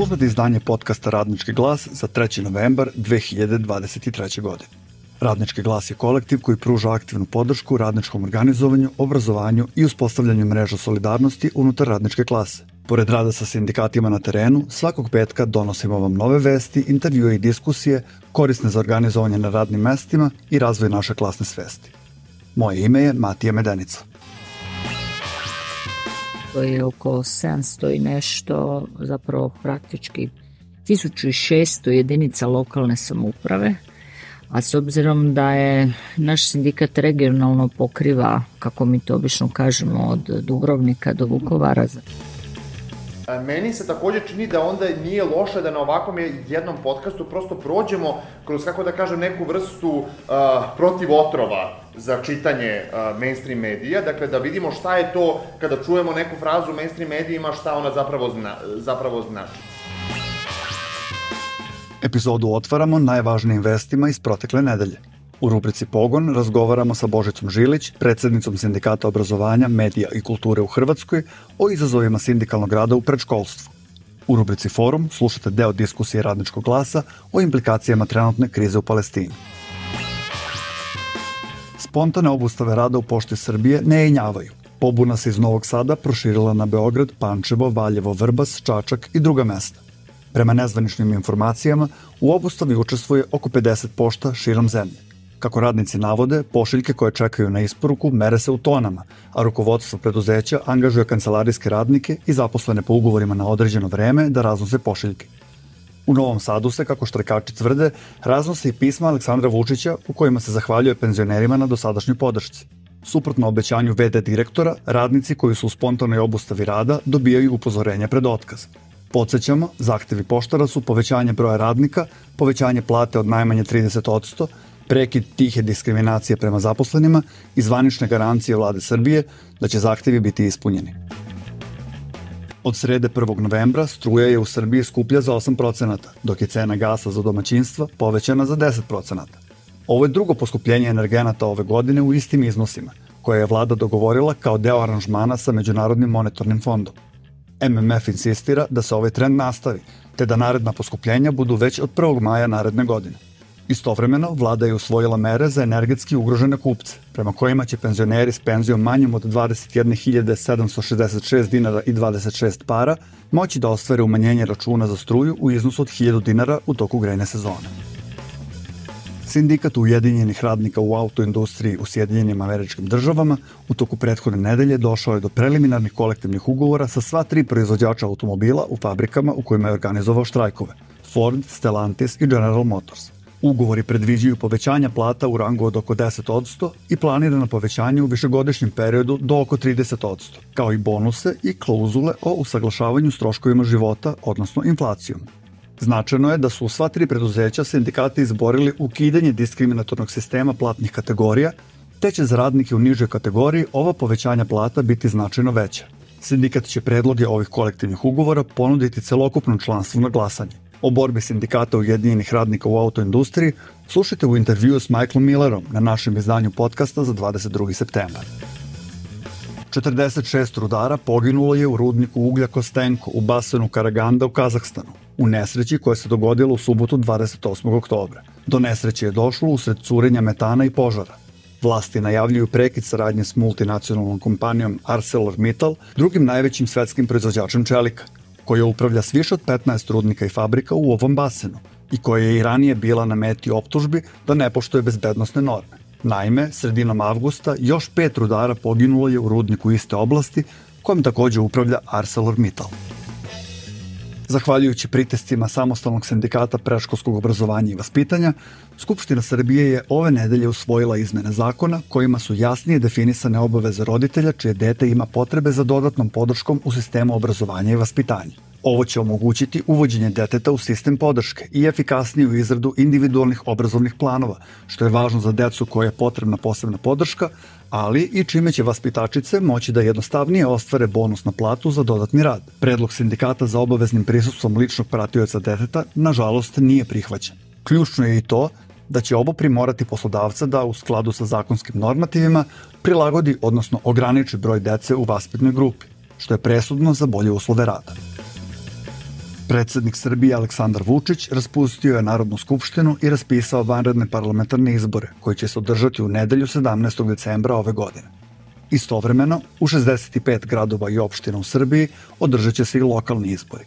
slušate izdanje podcasta Radnički glas za 3. novembar 2023. godine. Radnički glas je kolektiv koji pruža aktivnu podršku radničkom organizovanju, obrazovanju i uspostavljanju mreža solidarnosti unutar radničke klase. Pored rada sa sindikatima na terenu, svakog petka donosimo vam nove vesti, intervjue i diskusije korisne za organizovanje na radnim mestima i razvoj naše klasne svesti. Moje ime je Matija Medenica. To je oko 700 i nešto, zapravo praktički 1600 jedinica lokalne samouprave, a s obzirom da je naš sindikat regionalno pokriva, kako mi to obično kažemo, od Dubrovnika do Vukovara. Meni se takođe čini da onda nije loše da na ovakvom jednom podcastu prosto prođemo kroz, kako da kažem, neku vrstu protivotrova za čitanje mainstream medija, dakle da vidimo šta je to kada čujemo neku frazu u mainstream medijima, šta ona zapravo znači. Epizodu otvaramo najvažnijim vestima iz protekle nedelje. U rubrici Pogon razgovaramo sa Božicom Žilić, predsednicom Sindikata obrazovanja, medija i kulture u Hrvatskoj, o izazovima sindikalnog rada u predškolstvu. U rubrici Forum slušate deo diskusije Radničkog glasa o implikacijama trenutne krize u Palestini. Spontane obustave rada u Pošti Srbije ne jenjavaju. Pobuna se iz Novog Sada proširila na Beograd, Pančevo, Valjevo, Vrbas, Čačak i druga mesta. Prema nezvaničnim informacijama, u obustavi učestvuje oko 50 pošta širom zemlje. Kako radnici navode, pošiljke koje čekaju na isporuku mere se u tonama, a rukovodstvo preduzeća angažuje kancelarijske radnike i zaposlene po ugovorima na određeno vreme da raznose pošiljke. U Novom Sadu se, kako štrajkači tvrde, raznose i pisma Aleksandra Vučića u kojima se zahvaljuje penzionerima na dosadašnjoj podršci. Suprotno obećanju VD direktora, radnici koji su u spontanoj obustavi rada dobijaju upozorenje pred otkaz. Podsećamo, zahtevi poštara su povećanje broja radnika, povećanje plate od najmanje 30%, prekid tihe diskriminacije prema zaposlenima i zvanične garancije vlade Srbije da će zahtevi biti ispunjeni. Od srede 1. novembra struja je u Srbiji skuplja za 8%, dok je cena gasa za domaćinstva povećana za 10%. Ovo je drugo poskupljenje energenata ove godine u istim iznosima, koje je vlada dogovorila kao deo aranžmana sa Međunarodnim monetarnim fondom. MMF insistira da se ovaj trend nastavi, te da naredna poskupljenja budu već od 1. maja naredne godine. Istovremeno, vlada je usvojila mere za energetski ugrožene kupce, prema kojima će penzioneri s penzijom manjom od 21.766 dinara i 26 para moći da ostvare umanjenje računa za struju u iznosu od 1000 dinara u toku grejne sezone. Sindikat Ujedinjenih radnika u autoindustriji u Sjedinjenim Američkim Državama u toku prethodne nedelje došao je do preliminarnih kolektivnih ugovora sa sva 3 proizvođača automobila u fabrikama u kojima je organizovao štrajkove: Ford, Stellantis i General Motors. Ugovori predviđaju povećanja plata u rangu od oko 10% i planirano povećanje u višegodišnjem periodu do oko 30%, kao i bonuse i klauzule o usaglašavanju s troškovima života, odnosno inflacijom. Značajno je da su u sva 3 preduzeća sindikati izborili ukidanje diskriminatornog sistema platnih kategorija, te će za radnike u nižoj kategoriji ova povećanja plata biti značajno veća. Sindikat će predloge ovih kolektivnih ugovora ponuditi celokupnom članstvu na glasanje. O borbi sindikata Ujedinjenih radnika u autoindustriji slušajte u intervjuu s Michaelom Millerom na našem izdanju podcasta za 22. septembar. 46 rudara poginulo je u rudniku uglja Kostenko u basenu Karaganda u Kazahstanu, u nesreći koja se dogodila u subotu 28. oktobra. Do nesreće je došlo usred curenja metana i požara. Vlasti najavljuju prekid saradnje s multinacionalnom kompanijom ArcelorMittal, drugim najvećim svetskim proizvođačem čelika, koja upravlja s više od 15 rudnika i fabrika u ovom basenu i koja je i ranije bila na meti optužbi da ne poštuje bezbednosne norme. Naime, sredinom avgusta još 5 rudara poginulo je u rudniku iste oblasti kojom takođe upravlja ArcelorMittal. Zahvaljujući pritiscima Samostalnog sindikata predškolskog obrazovanja i vaspitanja, Skupština Srbije je ove nedelje usvojila izmene zakona kojima su jasnije definisane obaveze roditelja čije dete ima potrebe za dodatnom podrškom u sistemu obrazovanja i vaspitanja. Ovo će omogućiti uvođenje deteta u sistem podrške i efikasniju izradu individualnih obrazovnih planova, što je važno za decu koja je potrebna posebna podrška, ali i čime će vaspitačice moći da jednostavnije ostvare bonus na platu za dodatni rad. Predlog sindikata za obaveznim prisustvom ličnog pratioca deteta, nažalost, nije prihvaćen. Ključno je i to da će ovo primorati poslodavca da, u skladu sa zakonskim normativima, prilagodi, odnosno ograniči broj dece u vaspitnoj grupi, što je presudno za bolje uslove rada. Predsednik Srbije Aleksandar Vučić raspustio je Narodnu skupštinu i raspisao vanredne parlamentarne izbore, koji će se održati u nedelju 17. decembra ove godine. Istovremeno, u 65 gradova i opština u Srbiji održat će se i lokalni izbori.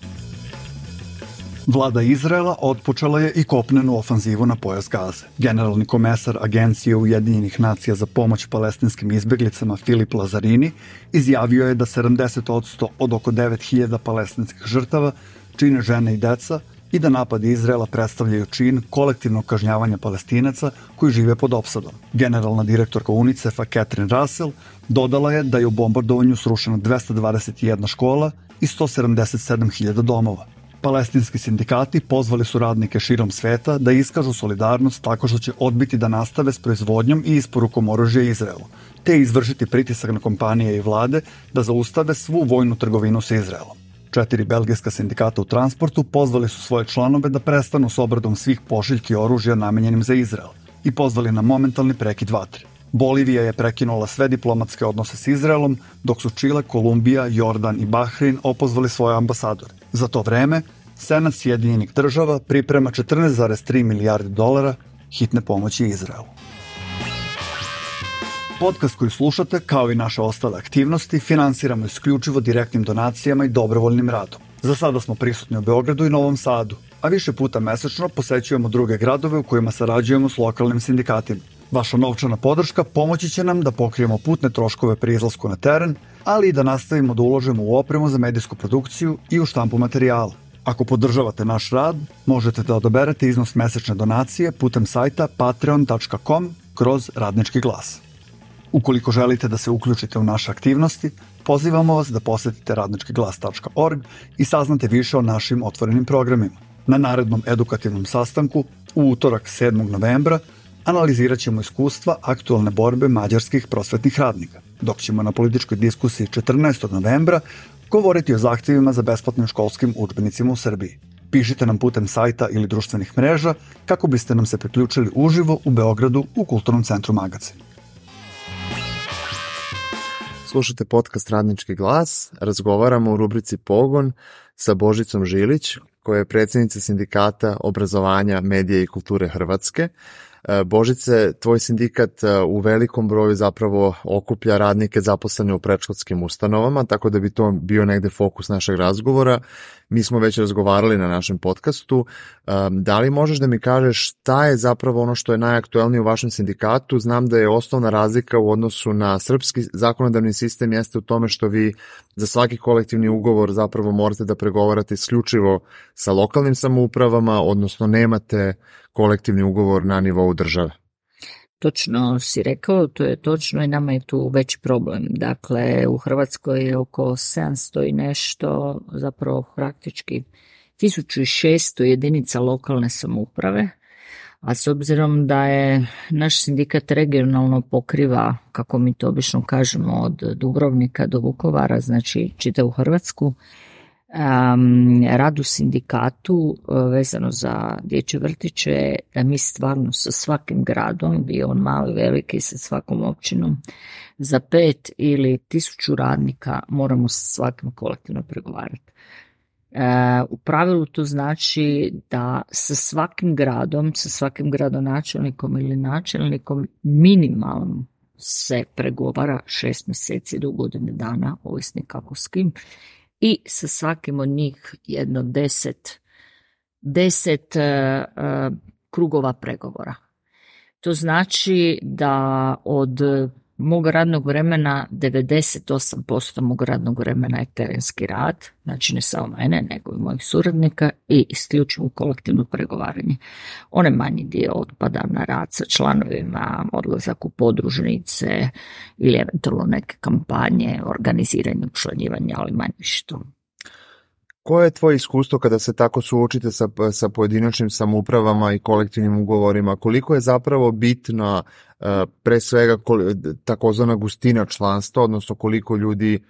Vlada Izraela otpočela je i kopnenu ofanzivu na pojas Gaze. Generalni komesar Agencije Ujedinjenih nacija za pomoć palestinskim izbeglicama Filip Lazarini izjavio je da 70% od oko 9000 palestinskih žrtava čine žene i deca i da napadi Izraela predstavljaju čin kolektivnog kažnjavanja Palestinaca koji žive pod opsadom. Generalna direktorka UNICEF-a Catherine Russell dodala je da je u bombardovanju srušeno 221 škola i 177.000 domova. Palestinski sindikati pozvali su radnike širom sveta da iskažu solidarnost tako što će odbiti da nastave s proizvodnjom i isporukom oružja Izraelu, te izvršiti pritisak na kompanije i vlade da zaustave svu vojnu trgovinu sa Izraelom. 4 belgijska sindikata u transportu pozvali su svoje članove da prestanu s obradom svih pošiljki oružja namenjenim za Izrael i pozvali na momentalni prekid vatre. Bolivija je prekinula sve diplomatske odnose s Izraelom, dok su Čile, Kolumbija, Jordan i Bahrein opozvali svoje ambasadore. Za to vreme, Senat Sjedinjenih država priprema 14,3 milijarde dolara hitne pomoći Izraelu. Podcast koji slušate, kao i naše ostale aktivnosti, finansiramo isključivo direktnim donacijama i dobrovoljnim radom. Za sada smo prisutni u Beogradu i Novom Sadu, a više puta mesečno posećujemo druge gradove u kojima sarađujemo s lokalnim sindikatima. Vaša novčana podrška pomoći će nam da pokrijemo putne troškove pri izlasku na teren, ali i da nastavimo da uložimo u opremu za medijsku produkciju i u štampu materijala. Ako podržavate naš rad, možete da odaberete iznos mesečne donacije putem sajta patreon.com/radnički glas. Ukoliko želite da se uključite u naše aktivnosti, pozivamo vas da posetite radničkiglas.org i saznate više o našim otvorenim programima. Na narednom edukativnom sastanku, u utorak 7. novembra, analizirat ćemo iskustva aktualne borbe mađarskih prosvetnih radnika, dok ćemo na političkoj diskusiji 14. novembra govoriti o zahtjevima za besplatnim školskim udžbenicima u Srbiji. Pišite nam putem sajta ili društvenih mreža kako biste nam se priključili uživo u Beogradu u Kulturnom centru Magacin. Slušate podcast Radnički glas, razgovaramo u rubrici Pogon sa Božicom Žilić, koja je predsjednica Sindikata obrazovanja, medije i kulture Hrvatske. Božice, tvoj sindikat u velikom broju zapravo okuplja radnike zaposlene u predškolskim ustanovama, tako da bi to bio negde fokus našeg razgovora. Mi smo već razgovarali na našem podcastu. Da li možeš da mi kažeš šta je zapravo ono što je najaktuelnije u vašem sindikatu? Znam da je osnovna razlika u odnosu na srpski zakonodavni sistem jeste u tome što vi za svaki kolektivni ugovor zapravo morate da pregovarate isključivo sa lokalnim samoupravama, odnosno nemate kolektivni ugovor na nivou države. Točno si rekao, to je točno i nama je tu veći problem. Dakle, u Hrvatskoj je oko 700 i nešto, zapravo praktički 1600 jedinica lokalne samouprave, a s obzirom da je naš sindikat regionalno pokriva, kako mi to obično kažemo, od Dubrovnika do Vukovara, znači čitavu Hrvatsku, rad u sindikatu vezano za dječje vrtiće, da mi stvarno sa svakim gradom, bio on mali, veliki, sa svakom općinom, za 5 ili 1000 radnika moramo sa svakim kolektivno pregovarati. U pravilu to znači da sa svakim gradom, sa svakim gradonačelnikom ili načelnikom minimalno se pregovara 6 mjeseci do godine dana, ovisno kako s kim, i sa svakim od njih jedno 10 krugova pregovora. To znači da od mog radnog vremena 98% mog radnog vremena je terenski rad, znači ne samo mene, nego i mojih suradnika i isključivo kolektivno pregovaranje. Onaj manji dio otpada na rad sa članovima, odlazak u podružnice ili eventualno neke kampanje, organiziranje, učlanjivanja, ali manje što. Koje je tvoje iskustvo kada se tako suočite sa pojedinačnim samoupravama i kolektivnim ugovorima? Koliko je zapravo bitna pre svega takozvana gustina članstva, odnosno koliko ljudi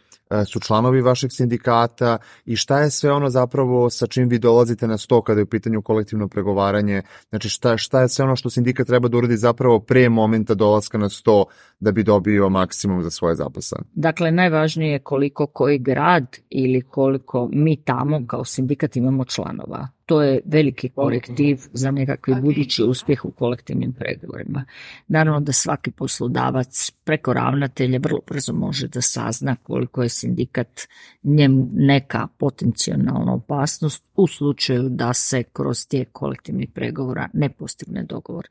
su članovi vašeg sindikata i šta je sve ono zapravo sa čim vi dolazite na sto kada je u pitanju kolektivno pregovaranje, znači šta je sve ono što sindikat treba da uradi zapravo pre momenta dolaska na sto da bi dobio maksimum za svoje zaposlene. Dakle, najvažnije je koliko koji grad ili koliko mi tamo kao sindikat imamo članova. To je veliki korektiv za nekakvi budući uspjeh u kolektivnim pregovorima. Naravno da svaki poslodavac preko ravnatelja vrlo brzo može da sazna koliko je sindikat njemu neka potencijalna opasnost u slučaju da se kroz tijek kolektivnih pregovora ne postigne dogovor.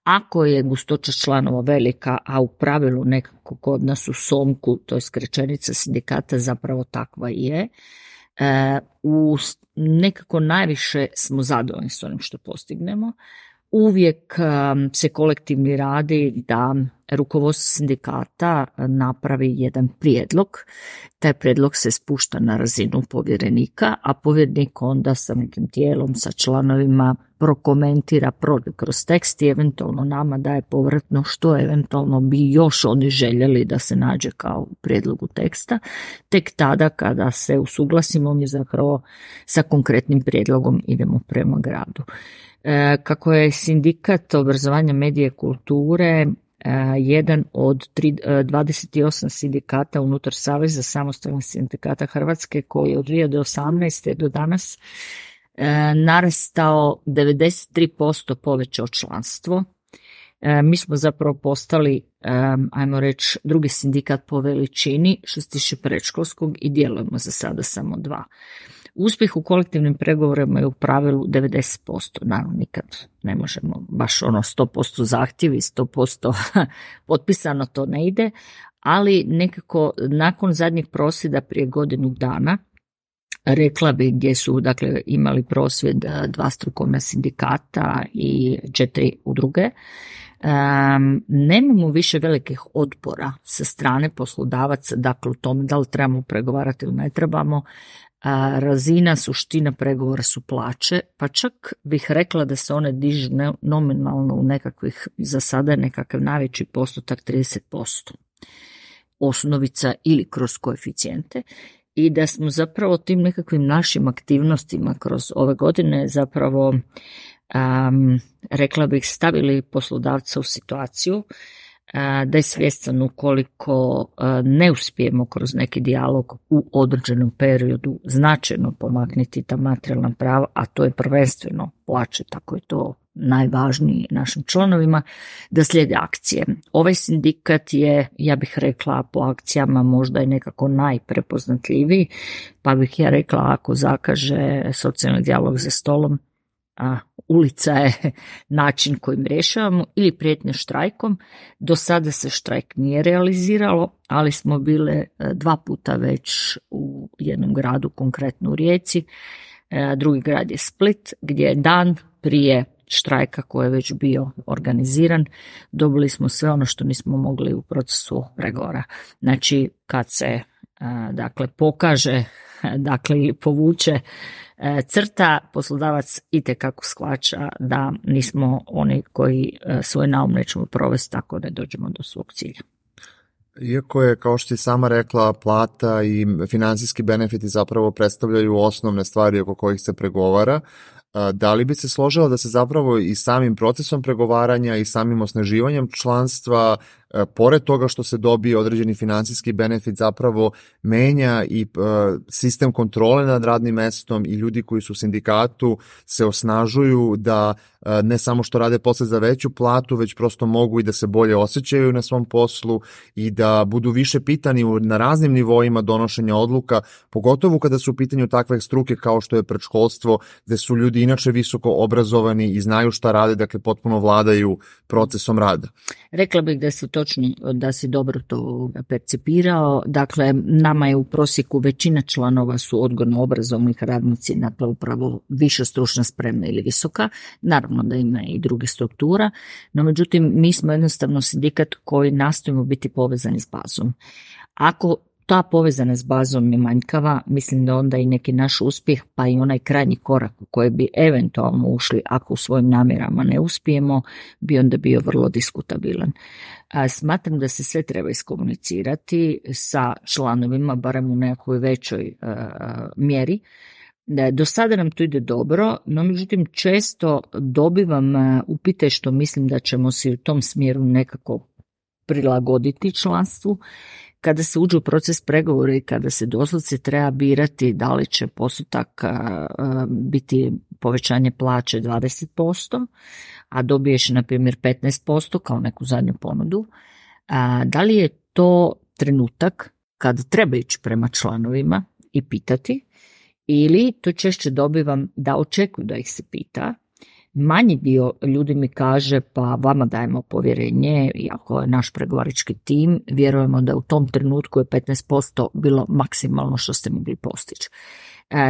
Ako je gustoća članova velika, a u pravilu nekako kod nas u SOMKU, to je skraćenica sindikata, zapravo takva je, nekako najviše smo zadovoljni s onim što postignemo. Uvijek se kolektivni radi da rukovodstvo sindikata napravi jedan prijedlog. Taj prijedlog se spušta na razinu povjerenika, a povjerenik onda sa nekim tijelom, sa članovima prokomentira, prođe kroz tekst i eventualno nama daje povratno što eventualno bi još oni željeli da se nađe kao u prijedlogu teksta. Tek tada kada se usuglasimo mi zapravo sa konkretnim prijedlogom idemo prema gradu. Kako je sindikat obrazovanja, medije i kulture jedan od 28 sindikata unutar Saveza samostalnih sindikata Hrvatske koji je od 2018. do danas narastao 93% povećao članstvo. Mi smo zapravo postali, ajmo reći, drugi sindikat po veličini što se tiče predškolskog i djelujemo za sada samo 2. Uspjeh u kolektivnim pregovorima je u pravilu 90%, naravno nikad ne možemo baš 100% zahtjevi, 100% potpisano, to ne ide, ali nekako nakon zadnjih prosvjeda prije godinu dana, rekla bi gdje su dakle imali prosvjed 2 strukovna sindikata i 4 udruge, nemamo više velikih otpora sa strane poslodavaca, dakle u tome da li trebamo pregovarati ili ne trebamo. Razina, suština pregovora su plaće, pa čak bih rekla da se one dižu nominalno u nekakvih, za sada nekakav najveći postotak 30%. Osnovica ili kroz koeficijente i da smo zapravo tim nekakvim našim aktivnostima kroz ove godine zapravo rekla bih stavili poslodavca u situaciju da je svjestan ukoliko ne uspijemo kroz neki dijalog u određenom periodu značajno pomaknuti ta materijalna prava, a to je prvenstveno plaće, tako je to najvažniji našim članovima, da slijede akcije. Ovaj sindikat je, ja bih rekla, po akcijama možda i nekako najprepoznatljiviji, pa bih ja rekla ako zakaže socijalni dijalog za stolom, ulica je način kojim rješavamo ili prijetnje štrajkom. Do sada se štrajk nije realiziralo, ali smo bile 2 puta već u jednom gradu, konkretno u Rijeci. Drugi grad je Split, gdje je dan prije štrajka koji je već bio organiziran, dobili smo sve ono što nismo mogli u procesu pregovora. Znači, kad se dakle pokaže, dakle povuče crta, poslodavac itekako shvaća da nismo oni koji svoj naum nećemo provesti tako da dođemo do svog cilja. Iako je, kao što si sama rekla, plata i financijski benefiti zapravo predstavljaju osnovne stvari oko kojih se pregovara, da li bi se složila da se zapravo i samim procesom pregovaranja i samim osnaživanjem članstva, pored toga što se dobije određeni financijski benefit, zapravo menja i sistem kontrole nad radnim mestom i ljudi koji su u sindikatu se osnažuju da ne samo što rade posle za veću platu, već prosto mogu i da se bolje osjećaju na svom poslu i da budu više pitani na raznim nivoima donošenja odluka, pogotovo kada su u pitanju takve struke kao što je predškolstvo, gde su ljudi inače visoko obrazovani i znaju šta rade, dakle potpuno vladaju procesom rada. Rekla bih da si točno, da si dobro to percipirao. Dakle, nama je u prosjeku većina članova su odgojno-obrazovnih radnici, dakle upravo viša stručna sprema ili visoka. Naravno da ima i druge struktura, no međutim mi smo jednostavno sindikat koji nastojimo biti povezani s bazom. Ako ta povezanost s bazom je manjkava, mislim da onda i neki naš uspjeh, pa i onaj krajnji korak u koji bi eventualno ušli ako u svojim namjerama ne uspijemo, bi onda bio vrlo diskutabilan. Smatram da se sve treba iskomunicirati sa članovima, barem u nekoj većoj mjeri. Do sada nam to ide dobro, no međutim često dobivam upite što mislim da ćemo se u tom smjeru nekako prilagoditi članstvu. Kada se uđe u proces pregovora i kada se doslovce treba birati da li će postotak biti povećanje plaće 20%, a dobiješ na primjer 15% kao neku zadnju ponudu, da li je to trenutak kada treba ići prema članovima i pitati, ili to češće dobivam da očekuju da ih se pita. Manji dio ljudi mi kaže pa vama dajemo povjerenje, iako je naš pregovarački tim, vjerujemo da u tom trenutku je 15% bilo maksimalno što ste mogli postići.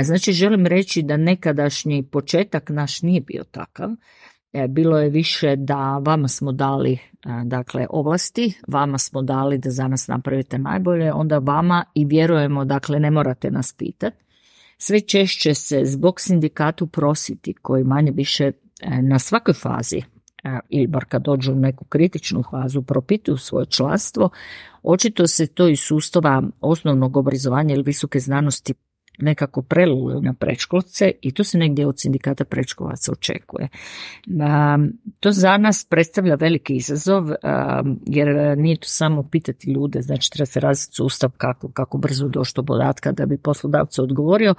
Znači želim reći da nekadašnji početak naš nije bio takav. Bilo je više da vama smo dali dakle ovlasti, vama smo dali da za nas napravite najbolje, onda vama i vjerujemo, dakle ne morate nas pitati. Sve češće se zbog sindikatu prositi koji manje više na svakoj fazi ili bar kad dođu u neku kritičnu fazu propituju svoje članstvo, očito se to iz sustava osnovnog obrazovanja ili visoke znanosti nekako prelilo na predškolce i to se negdje od sindikata predškolaca očekuje. To za nas predstavlja veliki izazov jer nije to samo pitati ljude, znači treba se razviti sustav kako brzo doći do podatka da bi poslodavac odgovorio,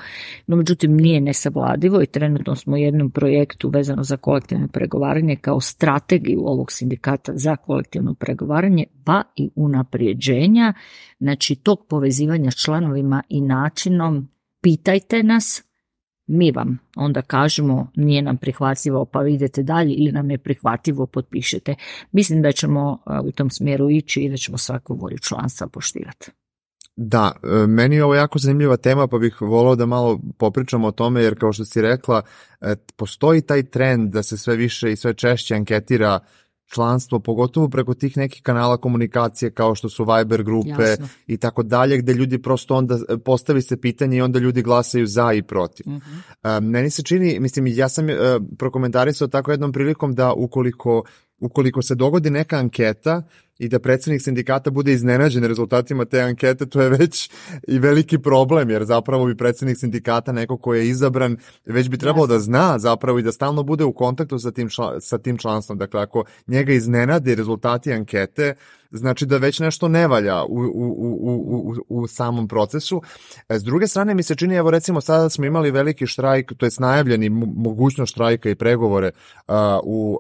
no međutim nije nesavladivo i trenutno smo u jednom projektu vezano za kolektivno pregovaranje kao strategiju ovog sindikata za kolektivno pregovaranje pa i unaprijeđenja, znači tog povezivanja s članovima i načinom pitajte nas, mi vam onda kažemo nije nam prihvatljivo pa vi idete dalje ili nam je prihvatljivo potpišete. Mislim da ćemo u tom smjeru ići i da ćemo svaku volju članstva poštivati. Da, meni je ovo jako zanimljiva tema pa bih volao da malo popričamo o tome jer kao što si rekla postoji taj trend da se sve više i sve češće anketira članstvo, pogotovo preko tih nekih kanala komunikacije kao što su Viber grupe Jasno. I tako dalje, gde ljudi prosto onda postavi se pitanje i onda ljudi glasaju za i protiv. Meni se čini, mislim, ja sam prokomentarisao tako jednom prilikom da ukoliko se dogodi neka anketa i da predsjednik sindikata bude iznenađen rezultatima te ankete, to je već i veliki problem, jer zapravo bi predsjednik sindikata, neko ko je izabran, već bi trebalo da zna zapravo i da stalno bude u kontaktu sa tim članstvom. Dakle, ako njega iznenade rezultati ankete, znači da već nešto ne valja u samom procesu. S druge strane mi se čini, evo recimo sada smo imali veliki štrajk, to je najavljeni mogućnost štrajka i pregovore u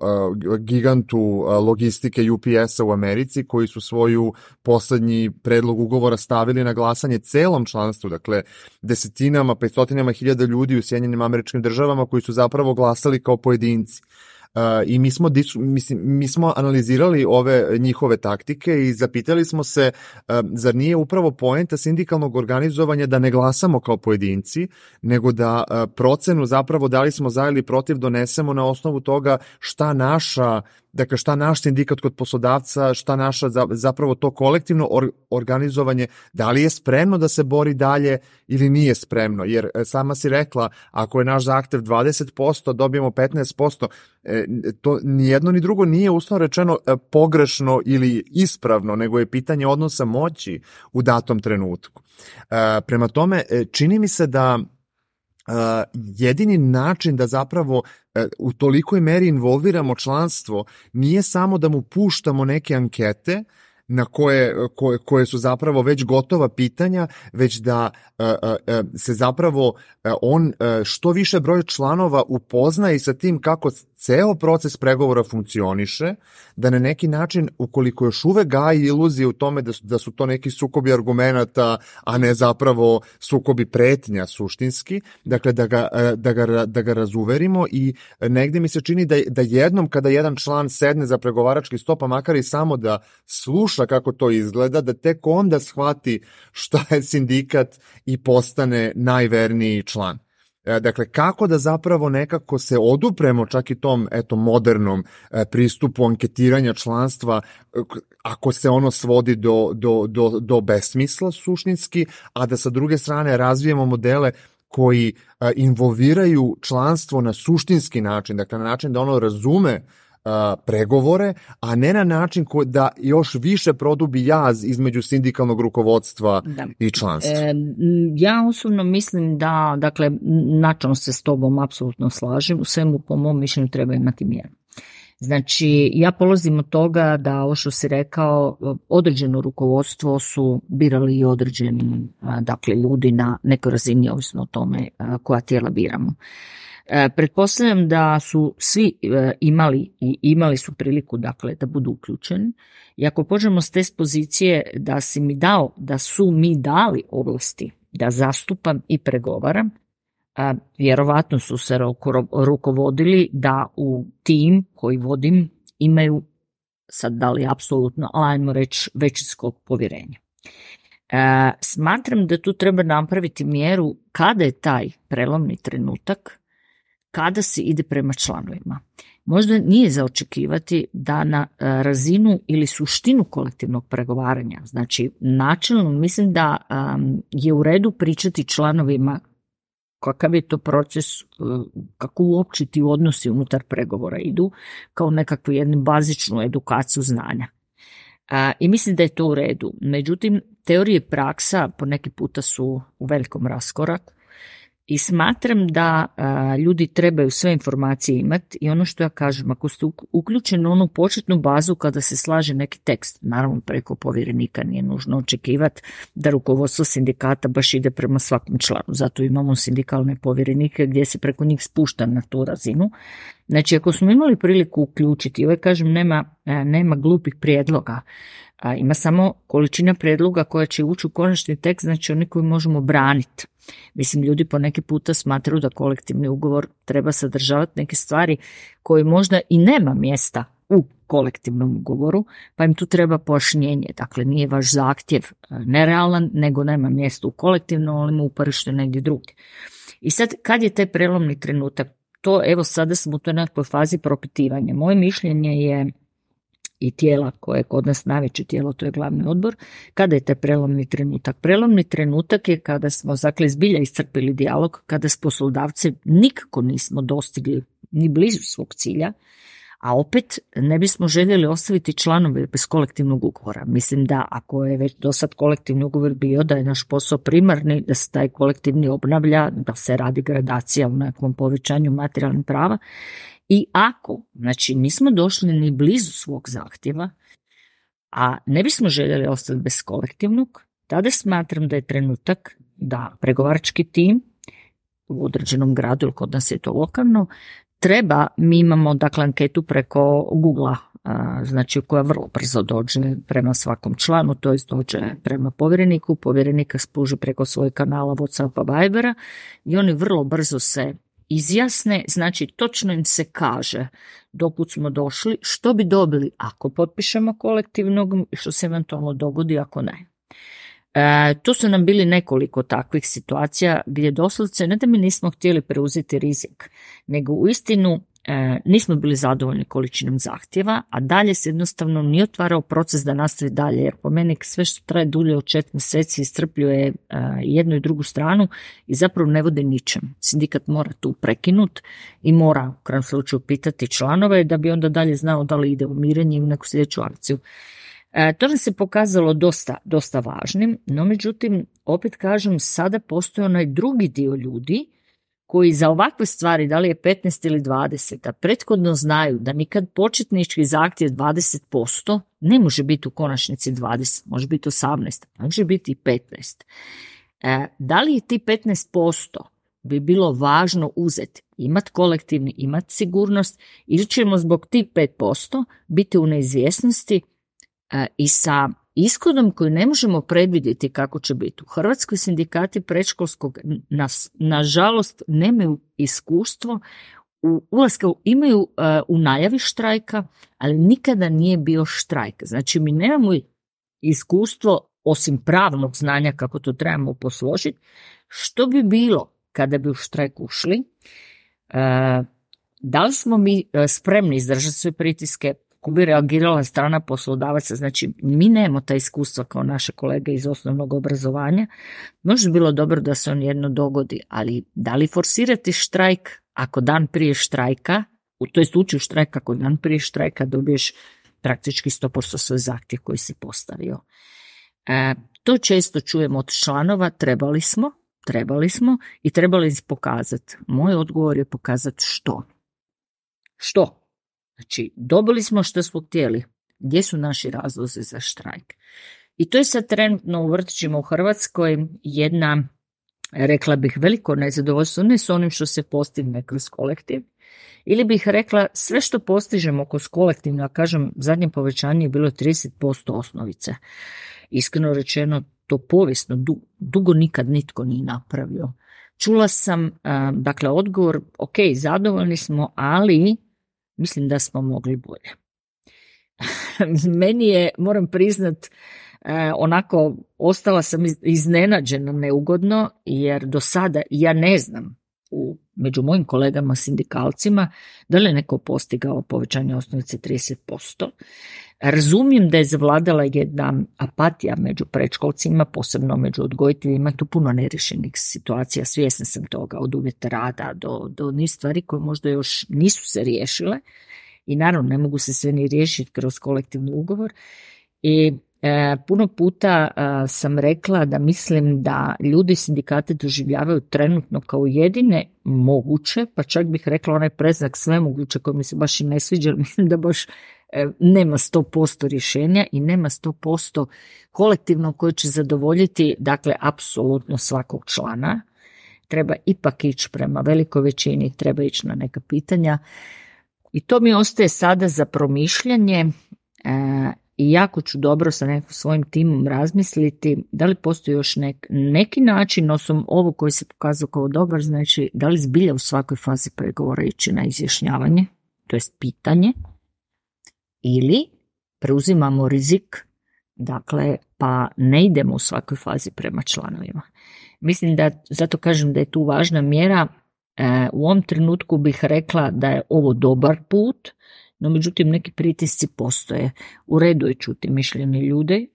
gigantu logistike UPS-a u Americi, koji su svoju poslednji predlog ugovora stavili na glasanje celom članstvu, dakle desetinama, 500.000 ljudi u Sjedinjenim Američkim Državama koji su zapravo glasali kao pojedinci. I mi smo analizirali ove njihove taktike i zapitali smo se zar nije upravo poenta sindikalnog organizovanja da ne glasamo kao pojedinci, nego da procenu zapravo da li smo za ili protiv donesemo na osnovu toga šta naš sindikat kod poslodavca, šta naša zapravo to kolektivno organizovanje, da li je spremno da se bori dalje ili nije spremno, jer sama si rekla, ako je naš zahtev 20%, dobijemo 15%, to ni jedno ni drugo nije uslovno rečeno pogrešno ili ispravno, nego je pitanje odnosa moći u datom trenutku. Prema tome, čini mi se da jedini način da zapravo u tolikoj meri involviramo članstvo nije samo da mu puštamo neke ankete na koje su zapravo već gotova pitanja, već da se zapravo on što više broj članova upozna i sa tim kako ceo proces pregovora funkcioniše, da na neki način, ukoliko još uvek gaji iluzije u tome da su to neki sukobi argumenata, a ne zapravo sukobi pretnja suštinski, dakle da ga razuverimo i negde mi se čini da jednom kada jedan član sedne za pregovarački sto, pa makar i samo da sluša kako to izgleda, da tek onda shvati šta je sindikat i postane najverniji član. Dakle, kako da zapravo nekako se odupremo čak i tom modernom pristupu anketiranja članstva, ako se ono svodi do besmisla suštinski, a da sa druge strane razvijemo modele koji involviraju članstvo na suštinski način, dakle na način da ono razume pregovore, a ne na način da još više produbi jaz između sindikalnog rukovodstva i članstva. Ja osobno mislim da, dakle, načelno se s tobom apsolutno slažem, u svemu po mom mišljenju treba imati mjeru. Znači, ja polazim od toga da ovo što si rekao, određeno rukovodstvo su birali i određeni, dakle, ljudi na nekoj razini, ovisno o tome koja tijela biramo. Pretpostavljam da su svi imali su priliku, dakle, da budu uključeni, i ako pođemo s te pozicije da si mi dao, da su mi dali ovlasti da zastupam i pregovaram, vjerovatno su se rukovodili da u tim koji vodim imaju, sad da li apsolutno, ajmo reći, većinskog povjerenja. Smatram da tu treba napraviti mjeru kada je taj prelomni trenutak, kada se ide prema članovima. Možda nije za očekivati da na razinu ili suštinu kolektivnog pregovaranja, znači načelno mislim da je u redu pričati članovima kakav je to proces, kako uopće ti odnosi unutar pregovora idu, kao nekakvu jednu bazičnu edukaciju znanja. I mislim da je to u redu. Međutim, teorije i praksa po neki puta su u velikom raskoraku i smatram da ljudi trebaju sve informacije imati i ono što ja kažem, ako ste uključeni u onu početnu bazu kada se slaže neki tekst, naravno preko povjerenika nije nužno očekivati da rukovodstvo sindikata baš ide prema svakom članu, zato imamo sindikalne povjerenike gdje se preko njih spušta na tu razinu. Znači, ako smo imali priliku uključiti, ovaj kažem, nema glupih prijedloga, ima samo količina prijedloga koja će ući u konačni tekst, znači oni koji možemo braniti. Mislim, ljudi po neki puta smatraju da kolektivni ugovor treba sadržavati neke stvari koje možda i nema mjesta u kolektivnom ugovoru, pa im tu treba pojašnjenje. Dakle, nije vaš zahtjev nerealan, nego nema mjesta u kolektivnom, ali mu uporište negdje drugdje. I sad, kad je taj prelomni trenutak? To, evo, sada smo u toj nekoj fazi propitivanja. Moje mišljenje je, i tijela koje je kod nas najveće tijelo, to je glavni odbor, kada je taj prelomni trenutak? Prelomni trenutak je kada smo, dakle, zbilja iscrpili dijalog, kada s poslodavcem nikako nismo dostigli ni blizu svog cilja, a opet ne bismo željeli ostaviti članove bez kolektivnog ugovora. Mislim da ako je već do sad kolektivni ugovor bio, da je naš posao primarni, da se taj kolektivni obnavlja, da se radi gradacija u nekom povećanju materijalnih prava. I ako, znači, nismo došli ni blizu svog zahtjeva, a ne bismo željeli ostati bez kolektivnog, tada smatram da je trenutak da pregovarački tim u određenom gradu, ili kod nas je to lokalno, mi imamo, dakle, anketu preko Google-a, znači koja vrlo brzo dođe prema svakom članu, to jest dođe prema povjereniku, povjerenika spruži preko svojeg kanala WhatsAppa, Vibera i oni vrlo brzo se izjasne, znači točno im se kaže dokud smo došli, što bi dobili ako potpišemo kolektivnog i što se eventualno dogodi ako ne. Tu su nam bili nekoliko takvih situacija gdje doslovce ne da mi nismo htjeli preuzeti rizik, nego uistinu nismo bili zadovoljni količinom zahtjeva, a dalje se jednostavno nije otvarao proces da nastavi dalje, jer po meni sve što traje dulje od 4 mjeseci iscrpljuje jednu i drugu stranu i zapravo ne vode ničem. Sindikat mora tu prekinuti i mora u krajnjem slučaju pitati članove da bi onda dalje znao da li ide u mirenje ili neku sljedeću akciju. To nam se pokazalo dosta važnim, no međutim, opet kažem, sada postoji onaj drugi dio ljudi koji za ovakve stvari, da li je 15 ili 20, a prethodno znaju da nikad početnički zahtjev 20% ne može biti u konačnici 20, može biti 18, može biti i 15. Da li je ti 15% bi bilo važno uzeti, imati kolektivni, imati sigurnost, ili ćemo zbog tih 5% biti u neizvjesnosti i sa ishodom koji ne možemo predvidjeti kako će biti. U Hrvatskoj sindikati predškolskog nažalost nemaju iskustvo ulaska, imaju u najavi štrajka, ali nikada nije bio štrajk. Znači mi nemamo iskustvo osim pravnog znanja kako to trebamo posložiti, što bi bilo kada bi u štrajk ušli. Da li smo mi spremni izdržati sve pritiske, kako bi reagirala strana poslodavaca? Znači, mi nemamo ta iskustva kao naše kolege iz osnovnog obrazovanja. Možda bilo dobro da se on jedno dogodi, ali da li forsirati štrajk ako dan prije štrajka, to jest ući u štrajk ako dan prije štrajka dobiješ praktički 100% svoj zahtjev koji si postavio. To često čujemo od članova, trebali smo i trebali pokazati. Moj odgovor je pokazati što. Znači, dobili smo što smo htjeli. Gdje su naši razlozi za štrajk? I to je sad trenutno u vrtićima u Hrvatskoj jedna, rekla bih, veliko nezadovoljstvo, ne s onim što se postigne kroz kolektiv, ili bih rekla sve što postižemo kroz kolektivno, a kažem, zadnje povećanje je bilo 30% osnovice. Iskreno rečeno, to povijesno dugo nikad nitko nije napravio. Čula sam, dakle, odgovor, ok, zadovoljni smo, ali mislim da smo mogli bolje. Meni je, moram priznat, onako, ostala sam iznenađena neugodno, jer do sada ja ne znam među mojim kolegama sindikalcima da li je neko postigao povećanje osnovice 30%. Razumijem da je zavladala jedna apatija među predškolcima, posebno među odgojiteljima, tu puno neriješenih situacija, svjesna sam toga, od uvjeta rada do niz stvari koje možda još nisu se riješile i naravno ne mogu se sve ni riješiti kroz kolektivni ugovor. I puno puta sam rekla da mislim da ljudi sindikate doživljavaju trenutno kao jedine moguće, pa čak bih rekla onaj predznak sve moguće koji mi se baš i ne sviđa, mislim da baš nema 100% rješenja i nema 100% kolektivno koje će zadovoljiti, dakle, apsolutno svakog člana. Treba ipak ići prema velikoj većini, treba ići na neka pitanja i to mi ostaje sada za promišljanje. I jako ću dobro sa nekim svojim timom razmisliti da li postoji još neki način, osim ovo koji se pokazao kao dobar, znači da li zbilja u svakoj fazi pregovora ići na izjašnjavanje, to jest pitanje, ili preuzimamo rizik, dakle, pa ne idemo u svakoj fazi prema članovima. Mislim da, zato kažem da je tu važna mjera. U ovom trenutku bih rekla da je ovo dobar put, no međutim neki pritisci postoje. U redu je čuti mišljenje ljude,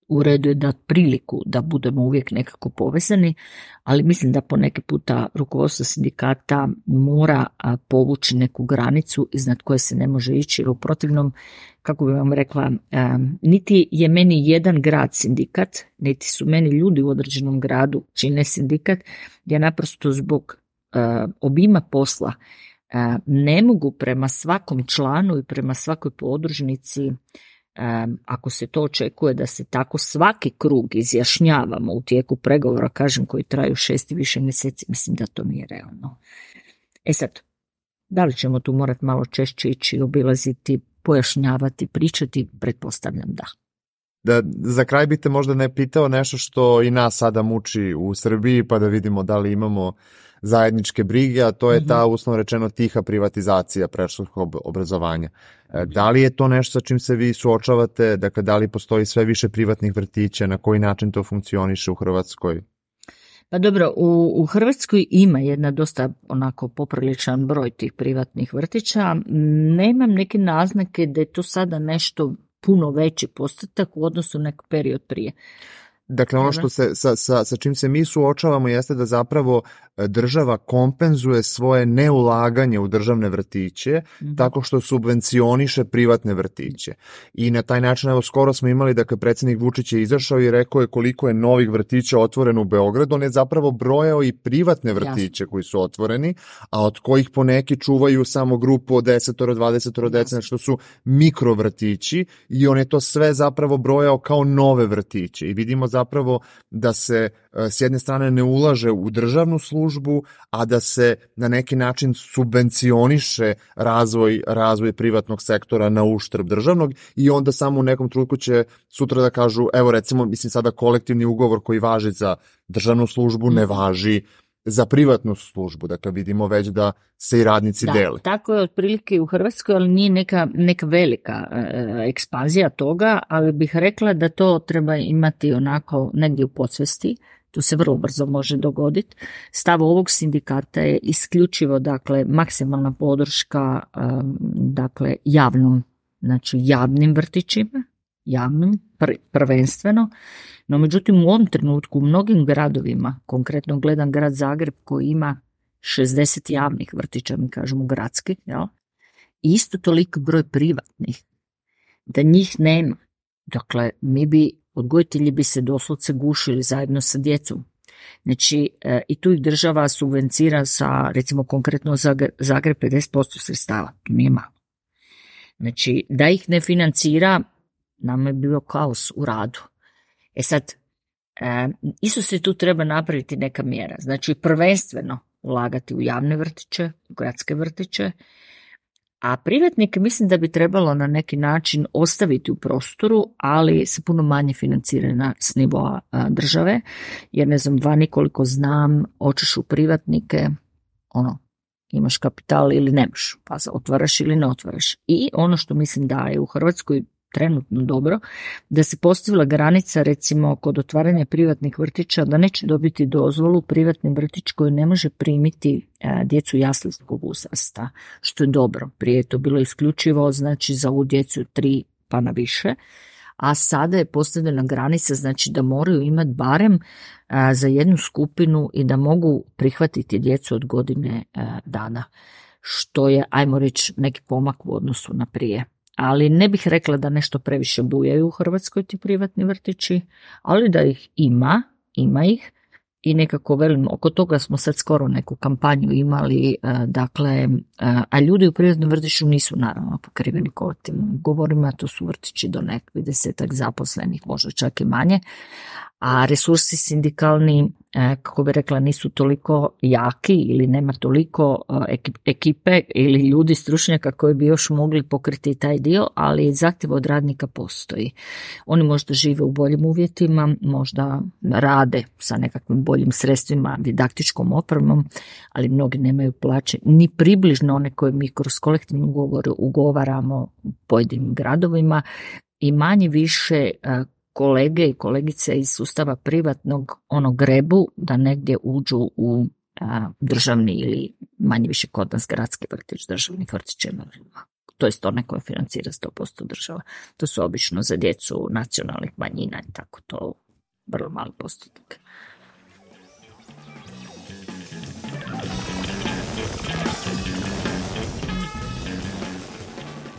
u redu je dati priliku da budemo uvijek nekako povezani, ali mislim da poneki puta rukovodstvo sindikata mora povući neku granicu iznad koje se ne može ići, jer u protivnom, kako bih vam rekla, niti je meni jedan grad sindikat, niti su meni ljudi u određenom gradu čine sindikat, ja naprosto zbog obima posla ne mogu prema svakom članu i prema svakoj podružnici, ako se to očekuje da se tako svaki krug izjašnjavamo u tijeku pregovora, kažem, koji traju 6 i više mjeseci, mislim da to nije realno. Sad, da li ćemo tu morati malo češće ići, obilaziti, pojašnjavati, pričati? Pretpostavljam da. Da, za kraj bih te možda ne pitao nešto što i nas sada muči u Srbiji, pa da vidimo da li imamo zajedničke brige, a to je ta, uslovno rečeno, tiha privatizacija predškolskog obrazovanja. Da li je to nešto sa čim se vi suočavate? Dakle, da li postoji sve više privatnih vrtića? Na koji način to funkcioniše u Hrvatskoj? Pa dobro, u Hrvatskoj ima jedna dosta onako popriličan broj tih privatnih vrtića. Nemam neke naznake da je to sada nešto puno veći postotak u odnosu na neki period prije. Dakle, ono što se, sa čim se mi suočavamo jeste da zapravo država kompenzuje svoje neulaganje u državne vrtiće tako što subvencioniše privatne vrtiće. I na taj način, evo, skoro smo imali, dakle, predsjednik Vučić je izašao i rekao je koliko je novih vrtića otvoreno u Beogradu. On je zapravo brojao i privatne vrtiće koji su otvoreni, a od kojih poneki čuvaju samo grupu od 10-20 dece, što su mikrovrtići, i on je to sve zapravo brojao kao nove vrtiće. I vidimo zapravo da se s jedne strane ne ulaže u državnu službu, a da se na neki način subvencioniše razvoj privatnog sektora na uštrb državnog, i onda samo u nekom trenutku će sutra da kažu, evo recimo, mislim sada kolektivni ugovor koji važi za državnu službu ne važi za privatnu službu. Dakle, vidimo već da se i radnici dele. Tako je otprilike u Hrvatskoj, ali nije neka velika ekspanzija toga, ali bih rekla da to treba imati onako negdje u podsvesti, To se vrlo brzo može dogoditi. Stav ovog sindikata je isključivo, dakle, maksimalna podrška, dakle, javnim vrtićima, javnim prvenstveno, no međutim u ovom trenutku u mnogim gradovima, konkretno gledam grad Zagreb koji ima 60 javnih vrtića, mi kažemo gradski, jel? I isto toliko broj privatnih, da njih nema. Dakle, odgojitelji bi se doslovce gušili zajedno sa djecom. Znači, i tu ih država subvencira sa, recimo konkretno Zagreb 50% sredstava, to nije malo. Znači, da ih ne financira, nam je bio kaos u radu. Sad, isto se tu treba napraviti neka mjera. Znači, prvenstveno ulagati u javne vrtiće, u gradske vrtiće, a privatnike mislim da bi trebalo na neki način ostaviti u prostoru, ali se puno manje financirana s nivoa države, jer ne znam, vani koliko znam, hoćeš u privatnike, imaš kapital ili nemaš, pa otvaraš ili ne otvaraš. I ono što mislim da je u Hrvatskoj trenutno dobro, da se postavila granica recimo kod otvaranja privatnih vrtića da neće dobiti dozvolu privatni vrtić koji ne može primiti djecu jaslinskog uzrasta, što je dobro. Prije je to bilo isključivo znači za ovu djecu 3 pa na više, a sada je postavljena granica znači da moraju imati barem za jednu skupinu i da mogu prihvatiti djecu od godine dana, što je, ajmo reći, neki pomak u odnosu na prije. Ali ne bih rekla da nešto previše bujaju u Hrvatskoj ti privatni vrtići, ali da ih ima ih i nekako velim, oko toga smo sad skoro neku kampanju imali, a ljudi u privatnom vrtiću nisu naravno pokriveni kolektivnim ugovorima, to su vrtići do nekih 10 zaposlenih, možda čak i manje, a resursi sindikalni, kako bi rekla, nisu toliko jaki ili nema toliko ekipe ili ljudi stručnjaka koji bi još mogli pokriti taj dio, ali zahtjev od radnika postoji. Oni možda žive u boljim uvjetima, možda rade sa nekakvim boljim sredstvima, didaktičkom opremom, ali mnogi nemaju plaće, ni približno one koje mi kroz kolektivni ugovor ugovaramo u pojedinim gradovima i manje više kolege i kolegice iz sustava privatnog grebu da negdje uđu u državni ili manje više kod nas gradski vrtić, državni vrtić. To je one koje financira 100% država. To su obično za djecu nacionalnih manjina i tako, to vrlo mali postotak.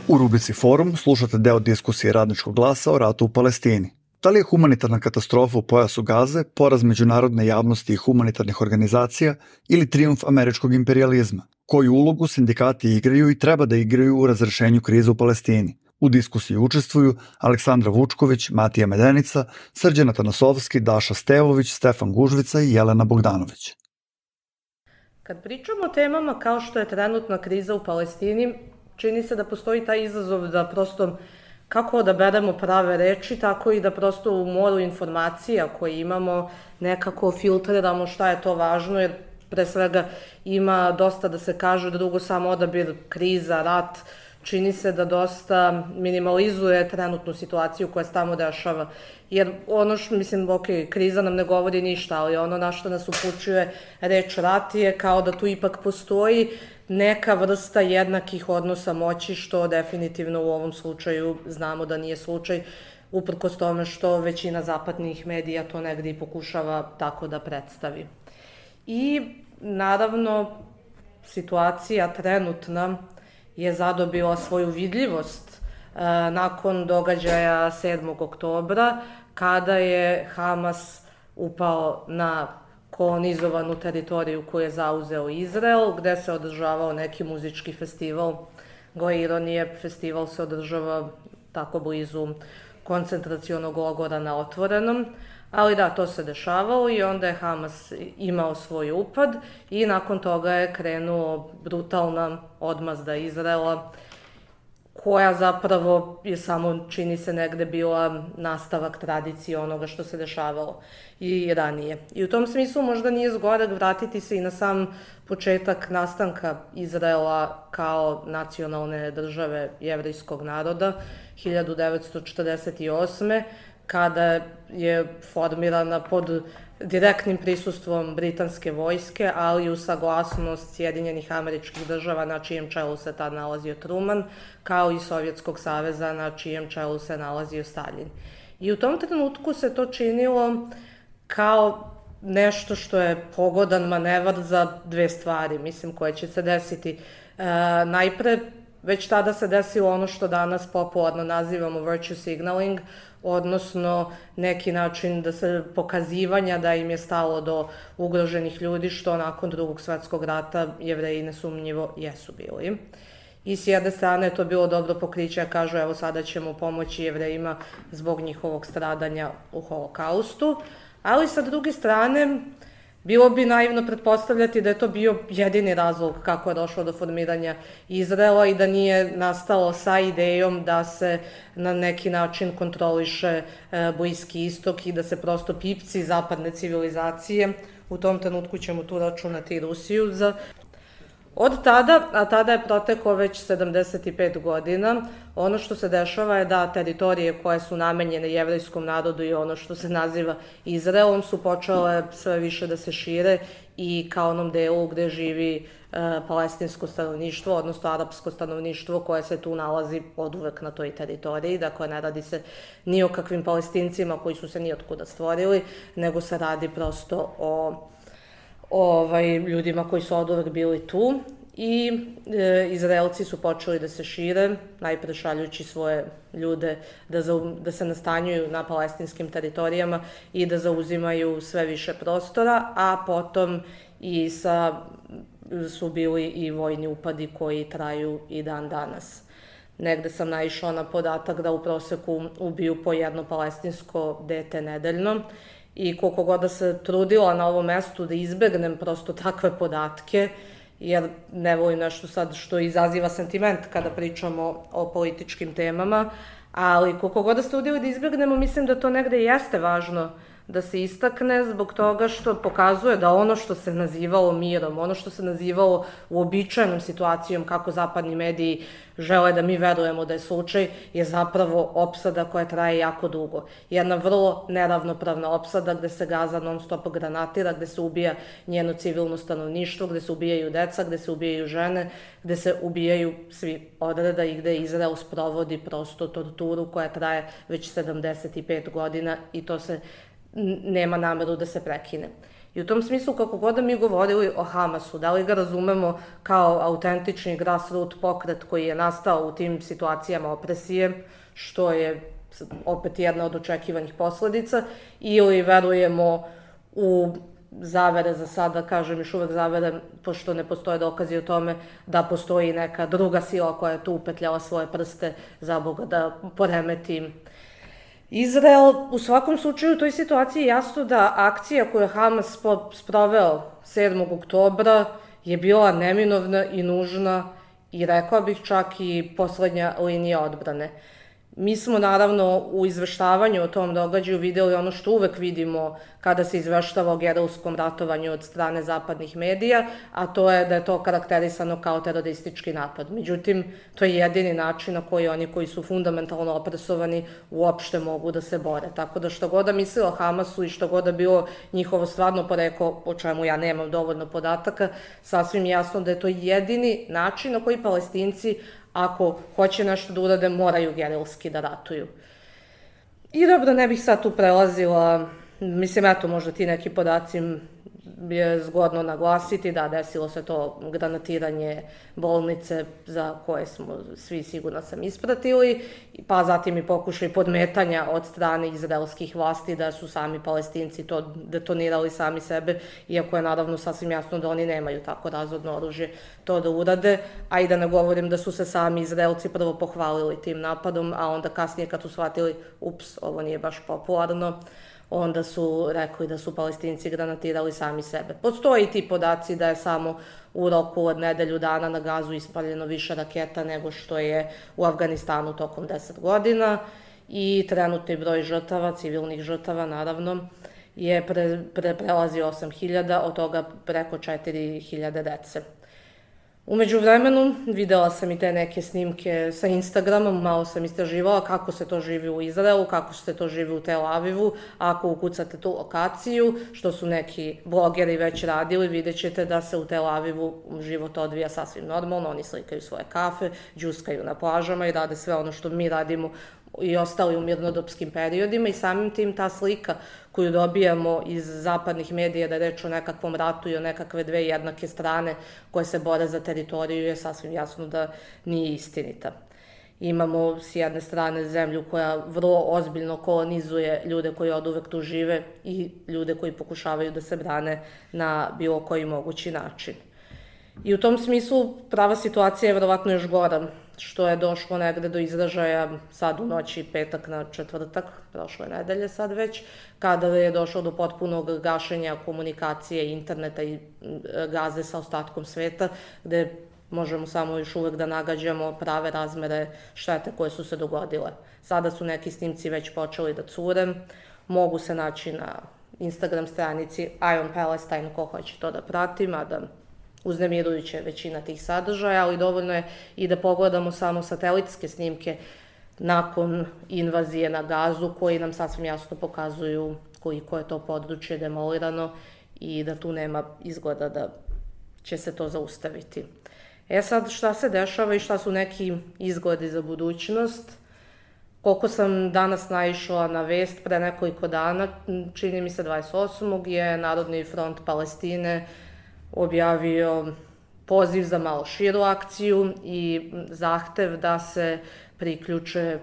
U rubrici Forum slušate deo diskusije Radničkog glasa o ratu u Palestini. Da li je humanitarna katastrofa u pojasu Gaze poraz međunarodne javnosti i humanitarnih organizacija ili trijumf američkog imperijalizma? Koju ulogu sindikati igraju i treba da igraju u razrešenju krize u Palestini? U diskusiji učestvuju Aleksandra Vučković, Matija Medenica, Srđan Atanasovski, Daša Stevović, Stefan Gužvica i Jelena Bogdanović. Kad pričamo o temama kao što je trenutna kriza u Palestini, čini se da postoji taj izazov da prosto kako odaberemo prave reči, tako i da prosto u moru informacija koje imamo nekako filtriramo šta je to važno, jer pre svega ima dosta da se kaže, drugo samo odabir, kriza, rat, čini se da dosta minimalizuje trenutnu situaciju koja se tamo dešava. Jer ono što, mislim, kriza nam ne govori ništa, ali ono na što nas upućuje reč rat je kao da tu ipak postoji neka vrsta jednakih odnosa moći, što definitivno u ovom slučaju znamo da nije slučaj, uprkos tome što većina zapadnih medija to negdje i pokušava tako da predstavi. I naravno situacija trenutna je zadobila svoju vidljivost nakon događaja 7. oktobra, kada je Hamas upao na kolonizovanu teritoriju koju je zauzeo Izrael, gde se održavao neki muzički festival. Gle ironije, festival se održava tako blizu koncentracionog logora na otvorenom, ali da, to se dešavalo i onda je Hamas imao svoj upad i nakon toga je krenuo brutalna odmazda Izraela, koja zapravo je samo, čini se, negde bila nastavak tradicije onoga što se dešavalo i ranije. I u tom smislu možda nije zgoreg vratiti se i na sam početak nastanka Izraela kao nacionalne države jevrejskog naroda 1948. kada je formirana pod direktnim prisustvom britanske vojske, ali i uz saglasnost Sjedinjenih Američkih Država na čijem čelu se tad nalazio Truman, kao i Sovjetskog saveza na čijem čelu se nalazio Stalin. I u tom trenutku se to činilo kao nešto što je pogodan manevar za dve stvari, mislim, koje će se desiti. Najpre, već tada se desilo ono što danas popularno nazivamo virtue signaling, odnosno neki način da se pokazivanja da im je stalo do ugroženih ljudi, što nakon Drugog svetskog rata Jevreji nesumnjivo jesu bili. I s jedne strane je to bilo dobro pokriće, kažu evo sada ćemo pomoći Jevrejima zbog njihovog stradanja u Holokaustu, ali sa druge strane bilo bi naivno pretpostavljati da je to bio jedini razlog kako je došlo do formiranja Izraela i da nije nastalo sa idejom da se na neki način kontroliše Bliski istok i da se prosto pipci zapadne civilizacije, u tom trenutku ćemo tu računati i Rusiju, od tada, a tada je proteklo već 75 godina, ono što se dešava je da teritorije koje su namenjene jevrejskom narodu i ono što se naziva Izraelom su počele sve više da se šire i ka onom delu gde živi palestinsko stanovništvo, odnosno arapsko stanovništvo koje se tu nalazi oduvek na toj teritoriji. Dakle, ne radi se ni o kakvim Palestincima koji su se nijotkuda stvorili, nego se radi prosto o ljudima koji su oduvek bili tu i Izraelci su počeli da se šire, najpre šaljući svoje ljude da se nastanjuju na palestinskim teritorijama i da zauzimaju sve više prostora, a potom i su bili i vojni upadi koji traju i dan danas. Negde sam naišla na podatak da u proseku ubiju po jedno palestinsko dete nedeljno, i koliko god da se trudila na ovom mestu da izbegnem prosto takve podatke, jer ne volim nešto sad što izaziva sentiment kada pričamo o političkim temama, ali koliko god da se trudili da izbegnemo, mislim da to negde jeste važno da se istakne zbog toga što pokazuje da ono što se nazivalo mirom, ono što se nazivalo uobičajenom situacijom kako zapadni mediji žele da mi verujemo da je slučaj, je zapravo opsada koja traje jako dugo. Jedna vrlo neravnopravna opsada gde se Gaza non stop granatira, gde se ubija njeno civilno stanovništvo, gde se ubijaju deca, gde se ubijaju žene, gde se ubijaju svi odreda i gde Izrael sprovodi prosto torturu koja traje već 75 godina i to se nema nameru da se prekine. I u tom smislu, kako god da mi govorili o Hamasu, da li ga razumemo kao autentični grassroot pokret koji je nastao u tim situacijama opresije, što je opet jedna od očekivanih posledica, ili verujemo u zavere, za sada kažem još uvek zavere, pošto ne postoje dokazi o tome da postoji neka druga sila koja je tu upetljala svoje prste za Boga da poremeti Izrael. U svakom slučaju u toj situaciji je jasno da akcija koju je Hamas sproveo 7. oktobra je bila neminovna i nužna i rekla bih čak i poslednja linija odbrane. Mi smo naravno u izveštavanju o tom događaju videli ono što uvek vidimo kada se izveštava o gerilskom ratovanju od strane zapadnih medija, a to je da je to karakterisano kao teroristički napad. Međutim, to je jedini način na koji oni koji su fundamentalno opresovani uopšte mogu da se bore. Tako da što god da mislila Hamasu i što god da bilo njihovo stvarno poreklo, o čemu ja nemam dovoljno podataka, sasvim jasno da je to jedini način na koji Palestinci, ako hoće nešto da urade, moraju gerilski da ratuju. I dobro, ne bih sad tu prelazila, mislim, eto, možda ti neki podaci je zgodno naglasiti, da, desilo se to granatiranje bolnice za koje smo svi, sigurno sam, ispratili, pa zatim i pokušaj podmetanja od strane izraelskih vlasti da su sami Palestinci to detonirali sami sebe, iako je naravno sasvim jasno da oni nemaju tako razodno oružje to da urade, a i da ne govorim da su se sami Izraelci prvo pohvalili tim napadom, a onda kasnije kad su shvatili, ups, ovo nije baš popularno, onda su rekli da su Palestinci granatirali sami sebe. Postoji ti podaci da je samo u roku od nedelju dana na Gazu ispaljeno više raketa nego što je u Afganistanu tokom 10 godina i trenutni broj žrtava, civilnih žrtava naravno, je prelazi 8.000, od toga preko 4.000 dece. Umeđu vremenu videla sam i te neke snimke sa Instagramom, malo sam istraživala kako se to živi u Izraelu, kako se to živi u Tel Avivu. Ako ukucate tu lokaciju, što su neki blogeri već radili, vidjet ćete da se u Tel Avivu život odvija sasvim normalno, oni slikaju svoje kafe, džuskaju na plažama i rade sve ono što mi radimo i ostali u mirnodopskim periodima i samim tim ta slika koju dobijamo iz zapadnih medija da je reč o nekakvom ratu i o nekakve dve jednake strane koje se bore za teritoriju je sasvim jasno da nije istinita. Imamo s jedne strane zemlju koja vrlo ozbiljno kolonizuje ljude koji oduvek tu žive i ljude koji pokušavaju da se brane na bilo koji mogući način. I u tom smislu prava situacija je verovatno još gora, što je došlo negde do izražaja sad u noći petak na četvrtak, prošle nedelje sad već, kada je došlo do potpunog gašenja komunikacije, interneta i gaze sa ostatkom sveta, gde možemo samo još uvek da nagađamo prave razmere štete koje su se dogodile. Sada su neki snimci već počeli da cure, mogu se naći na Instagram stranici Ion Palestine ko hoće to da prati, mada uznemirujuća je većina tih sadržaja, ali dovoljno je i da pogledamo samo satelitske snimke nakon invazije na Gazu, koji nam sasvim jasno pokazuju koliko je to područje demolirano i da tu nema izgleda da će se to zaustaviti. Sad, šta se dešava i šta su neki izgledi za budućnost? Koliko sam danas naišla na vest pre nekoliko dana, čini mi se 28. je Narodni front Palestine objavio poziv za malo širu akciju i zahtev da se priključe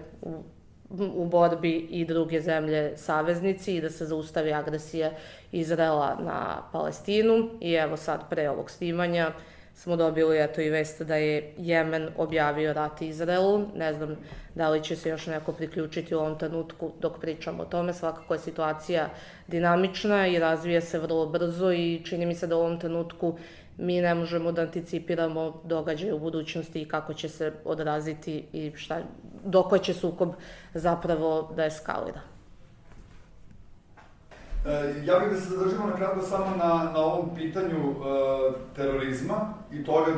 u borbi i druge zemlje saveznici i da se zaustavi agresija Izraela na Palestinu. I evo sad, pre ovog snimanja, smo dobili i vest da je Jemen objavio rat Izraelu. Ne znam da li će se još neko priključiti u ovom trenutku dok pričamo o tome. Svakako je situacija dinamična i razvija se vrlo brzo i čini mi se da u ovom trenutku mi ne možemo da anticipiramo događaje u budućnosti i kako će se odraziti i dok će sukob zapravo da eskalira. Ja bih da se zadržimo na kratko samo na ovom pitanju terorizma i toga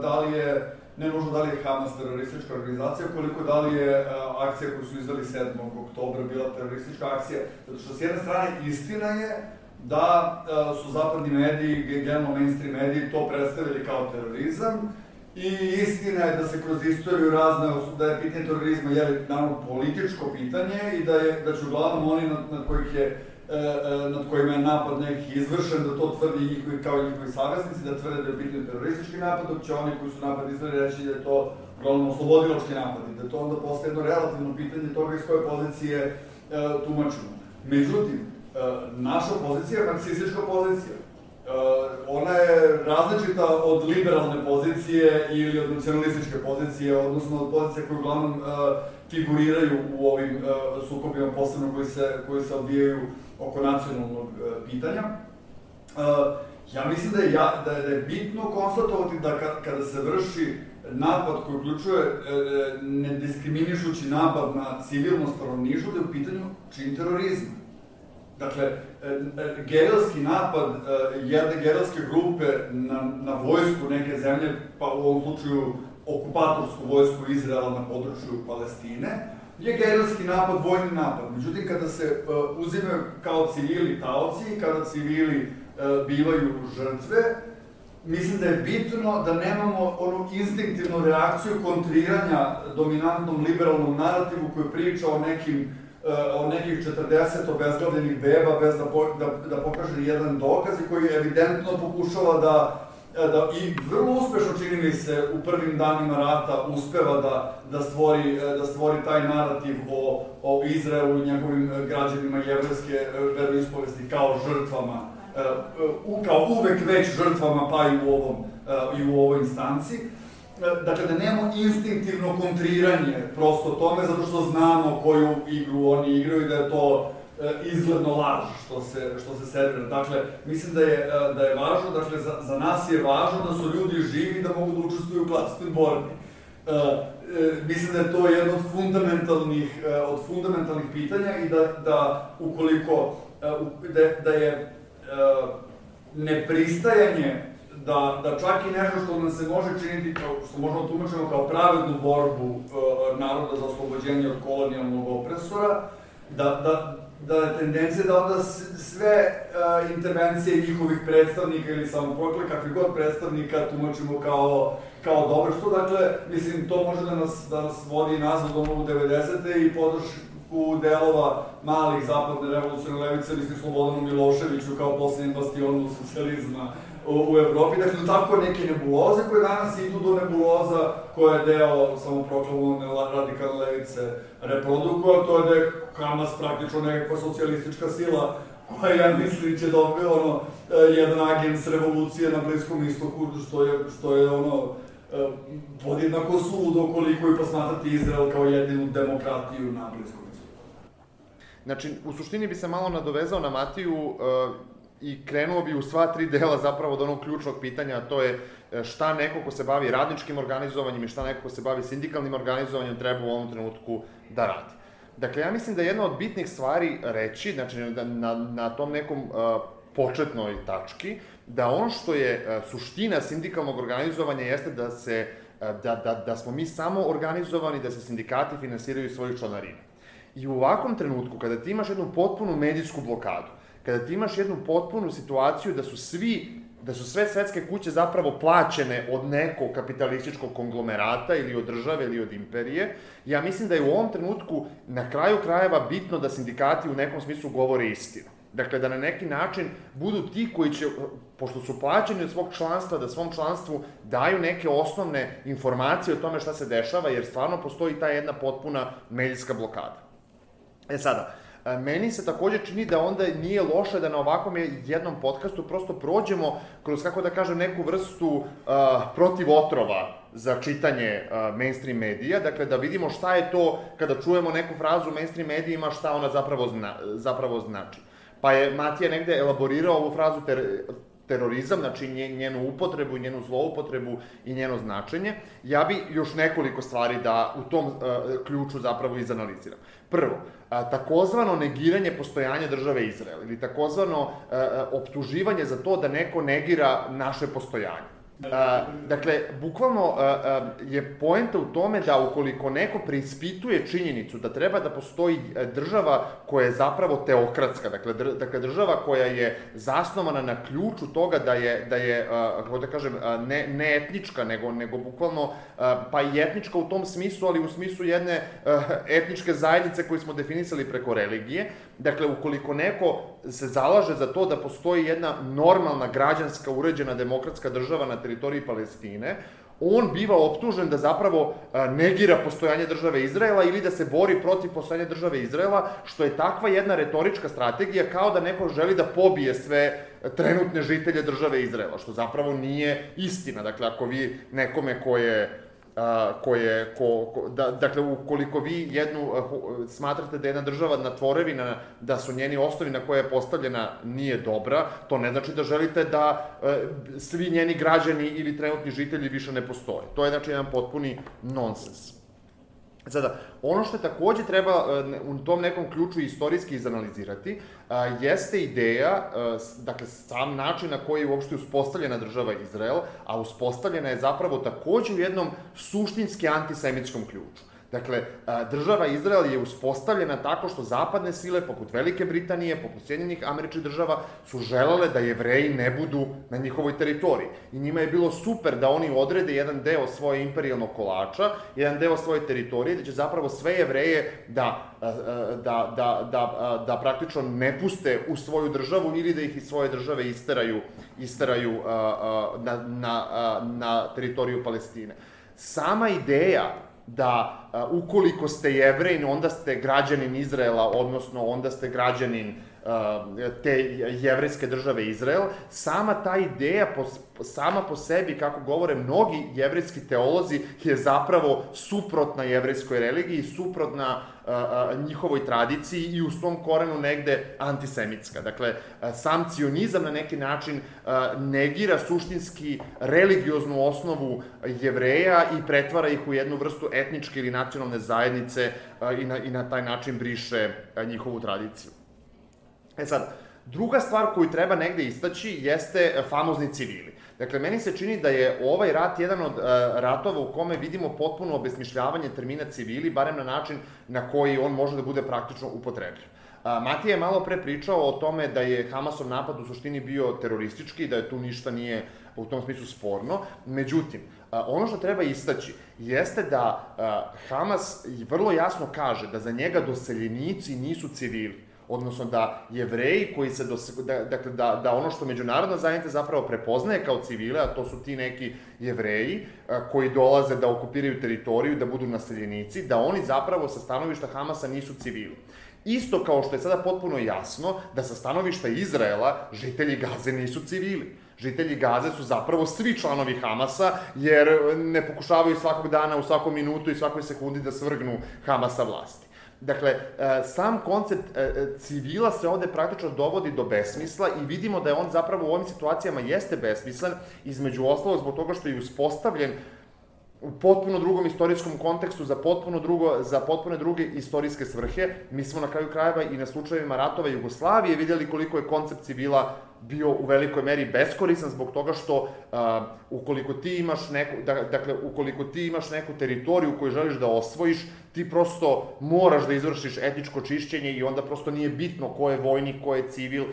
da li je, ne nužno da li je Hamas teroristička organizacija, koliko da li je akcija koju su izdali 7. oktobra bila teroristička akcija. Zato što s jedne strane istina je da su zapadni mediji, generalno mainstream mediji, to predstavili kao terorizam i istina je da se kroz istoriju da je pitanje terorizma naravno političko pitanje i da će uglavnom oni nad kojima je napad neki izvršen, da to tvrdi njihovi kao njihovi saveznici, da tvrde da je pitanje teroristički napad, dok će oni koji su napad izvršili reći da je to uglavnom oslobodilački napad i da to onda postaje jedno relativno pitanje toga iz koje pozicije tumačimo. Međutim, naša pozicija je marksistička pozicija. Ona je različita od liberalne pozicije ili od nacionalističke pozicije, odnosno od pozicije koje uglavnom figuriraju u ovim sukobima, posebno koji se odvijaju oko nacionalnog pitanja. Ja mislim da je bitno konstatovati da kada se vrši napad koji uključuje nediskriminišući napad na civilno stanovništvo, da je u pitanju čin terorizma. Dakle, gerilski napad jedne gerilske grupe na vojsku neke zemlje, pa u ovom slučaju okupatorsku vojsku Izraela na području Palestine, je gerilski napad, vojni napad. Međutim, kada se uzimaju kao civili taoci, kada civili bivaju žrtve, mislim da je bitno da nemamo onu instinktivnu reakciju kontriranja dominantnom liberalnom narativu koji priča o nekih 40 obezglavljenih beba bez da pokaže jedan dokaz i koji evidentno pokušava da i vrlo uspešno, čini mi se, u prvim danima rata uspeva da stvori taj narativ o Izraelu i njegovim građanima jevrejske veroispovesti kao žrtvama, kao uvek već žrtvama, pa i u ovoj instanci. Dakle, da nemamo instinktivno kontriranje prosto tome, zato što znamo koju igru oni igraju i da je to izgledno laž što se servira. Dakle, mislim da je važno, dakle, za nas je važno da su ljudi živi da mogu da učestvuju u klasnoj borbi. Mislim da je to jedno od fundamentalnih pitanja i da ukoliko, da je nepristajanje da čak i nešto što nam se može činiti, što možemo tumačiti kao pravednu borbu naroda za oslobođenje od kolonijalnog opresora, da je tendencija da onda sve intervencije njihovih predstavnika ili samoprokle, kakvi god predstavnika, tumačimo kao dobro, što dakle, mislim, to može da nas vodi nazad u 90. i podršku delova malih zapadne revolucionne levice, mislim, Slobodanu Miloševiću kao posljednjem bastionu socijalizma u Evropi, dakle, tako neke nebuloze koje danas idu do nebuloza koja je deo samoproklamovane radikalne levice reprodukova, to je da je Hamas praktično nekakva socijalistička sila koja, ja mislim, će dobiti jedan agens revolucije na Bliskom istoku, što je podjednako suludo koliko i posmatrati Izrael kao jedinu demokratiju na Bliskom istoku. Znači, u suštini bi se malo nadovezao na Matiju i krenuo bi u sva tri dela zapravo od onog ključnog pitanja, a to je šta neko ko se bavi radničkim organizovanjem i šta neko ko se bavi sindikalnim organizovanjem treba u ovom trenutku da radi. Dakle, ja mislim da je jedna od bitnih stvari reći, znači na tom nekom početnoj tački, da ono što je suština sindikalnog organizovanja jeste da smo mi samo organizovani, da se sindikati finansiraju iz svojih članarina. I u ovakvom trenutku, kada ti imaš jednu potpunu medijsku blokadu, kada ti imaš jednu potpunu situaciju da su sve svetske kuće zapravo plaćene od nekog kapitalističkog konglomerata ili od države ili od imperije, ja mislim da je u ovom trenutku na kraju krajeva bitno da sindikati u nekom smislu govore istinu. Dakle, da na neki način budu ti koji će, pošto su plaćeni od svog članstva, da svom članstvu daju neke osnovne informacije o tome šta se dešava, jer stvarno postoji ta jedna potpuna medijska blokada. Sada, meni se takođe čini da onda nije loše da na ovakvom jednom podcastu prosto prođemo kroz, kako da kažem, neku vrstu protivotrova za čitanje mainstream medija, dakle da vidimo šta je to, kada čujemo neku frazu u mainstream medijima, šta ona zapravo znači. Pa je Matija negde elaborirao ovu frazu terorizam, znači njenu upotrebu, njenu zloupotrebu i njeno značenje. Ja bi još nekoliko stvari da u tom ključu zapravo izanaliziram. Prvo, takozvano negiranje postojanja države Izrael ili takozvano optuživanje za to da neko negira naše postojanje. Dakle, bukvalno je poenta u tome da ukoliko neko preispituje činjenicu da treba da postoji država koja je zapravo teokratska, dakle država koja je zasnovana na ključu toga da je kako da kažem, ne etnička, nego bukvalno, pa i etnička u tom smislu, ali u smislu jedne etničke zajednice koju smo definisali preko religije. Dakle, ukoliko neko se zalaže za to da postoji jedna normalna, građanska, uređena, demokratska država na teritoriji Palestine, on biva optužen da zapravo negira postojanje države Izraela ili da se bori protiv postojanja države Izraela, što je takva jedna retorička strategija kao da neko želi da pobije sve trenutne žitelje države Izraela, što zapravo nije istina. Dakle, ako vi nekome dakle, ukoliko vi smatrate da je jedna država na tvorevina, da su njeni osnovi na koje je postavljena nije dobra, to ne znači da želite da svi njeni građani ili trenutni žitelji više ne postoje. To je, znači, jedan potpuni nonsens. Sada, ono što takođe treba u tom nekom ključu istorijski izanalizirati, jeste ideja, dakle, sam način na koji je uopšte uspostavljena država Izrael, a uspostavljena je zapravo takođe u jednom suštinski antisemitskom ključu. Dakle, država Izrael je uspostavljena tako što zapadne sile, poput Velike Britanije, poput Sjedinjenih Američkih Država, su želele da Jevreji ne budu na njihovoj teritoriji. I njima je bilo super da oni odrede jedan deo svoje imperijalnog kolača, jedan deo svoje teritorije, da će zapravo sve Jevreje da praktično ne puste u svoju državu ili da ih iz svoje države isteraju na teritoriju Palestine. Sama ideja da ukoliko ste Jevrej, onda ste građanin Izraela, odnosno onda ste građanin te jevrejske države Izrael, sama ta ideja sama po sebi, kako govore mnogi jevrejski teolozi, je zapravo suprotna jevrejskoj religiji, suprotna njihovoj tradiciji i u svom korenu negde antisemitska. Dakle, sam cionizam na neki način negira suštinski religioznu osnovu Jevreja i pretvara ih u jednu vrstu etničke ili nacionalne zajednice i na taj način briše njihovu tradiciju. Sad, druga stvar koju treba negde istaći jeste famozni civili. Dakle, meni se čini da je ovaj rat jedan od ratova u kome vidimo potpuno obesmišljavanje termina civili, barem na način na koji on može da bude praktično upotrebljiv. Matija je malo pre pričao o tome da je Hamasov napad u suštini bio teroristički, da je tu ništa nije u tom smislu sporno. Međutim, ono što treba istaći jeste da Hamas vrlo jasno kaže da za njega doseljenici nisu civili, odnosno da Jevreji koji se, dakle, da ono što međunarodna zajednica zapravo prepoznaje kao civile, a to su ti neki Jevreji koji dolaze da okupiraju teritoriju, da budu naseljenici, da oni zapravo sa stanovišta Hamasa nisu civili. Isto kao što je sada potpuno jasno da sa stanovišta Izraela žitelji Gaze nisu civili. Žitelji Gaze su zapravo svi članovi Hamasa, jer ne pokušavaju svakog dana, u svakom minutu i svakoj sekundi da svrgnu Hamasa vlasti. Dakle, sam koncept civila se ovde praktično dovodi do besmisla i vidimo da je on zapravo u ovim situacijama jeste besmislen, između ostalog zbog toga što je uspostavljen u potpuno drugom istorijskom kontekstu, za potpuno druge istorijske svrhe. Mi smo na kraju krajeva i na slučajevima ratova Jugoslavije vidjeli koliko je koncept civila bio u velikoj meri beskoristan zbog toga što ukoliko ti imaš neku teritoriju koju želiš da osvojiš, ti prosto moraš da izvršiš etničko čišćenje i onda prosto nije bitno ko je vojnik, ko je civil,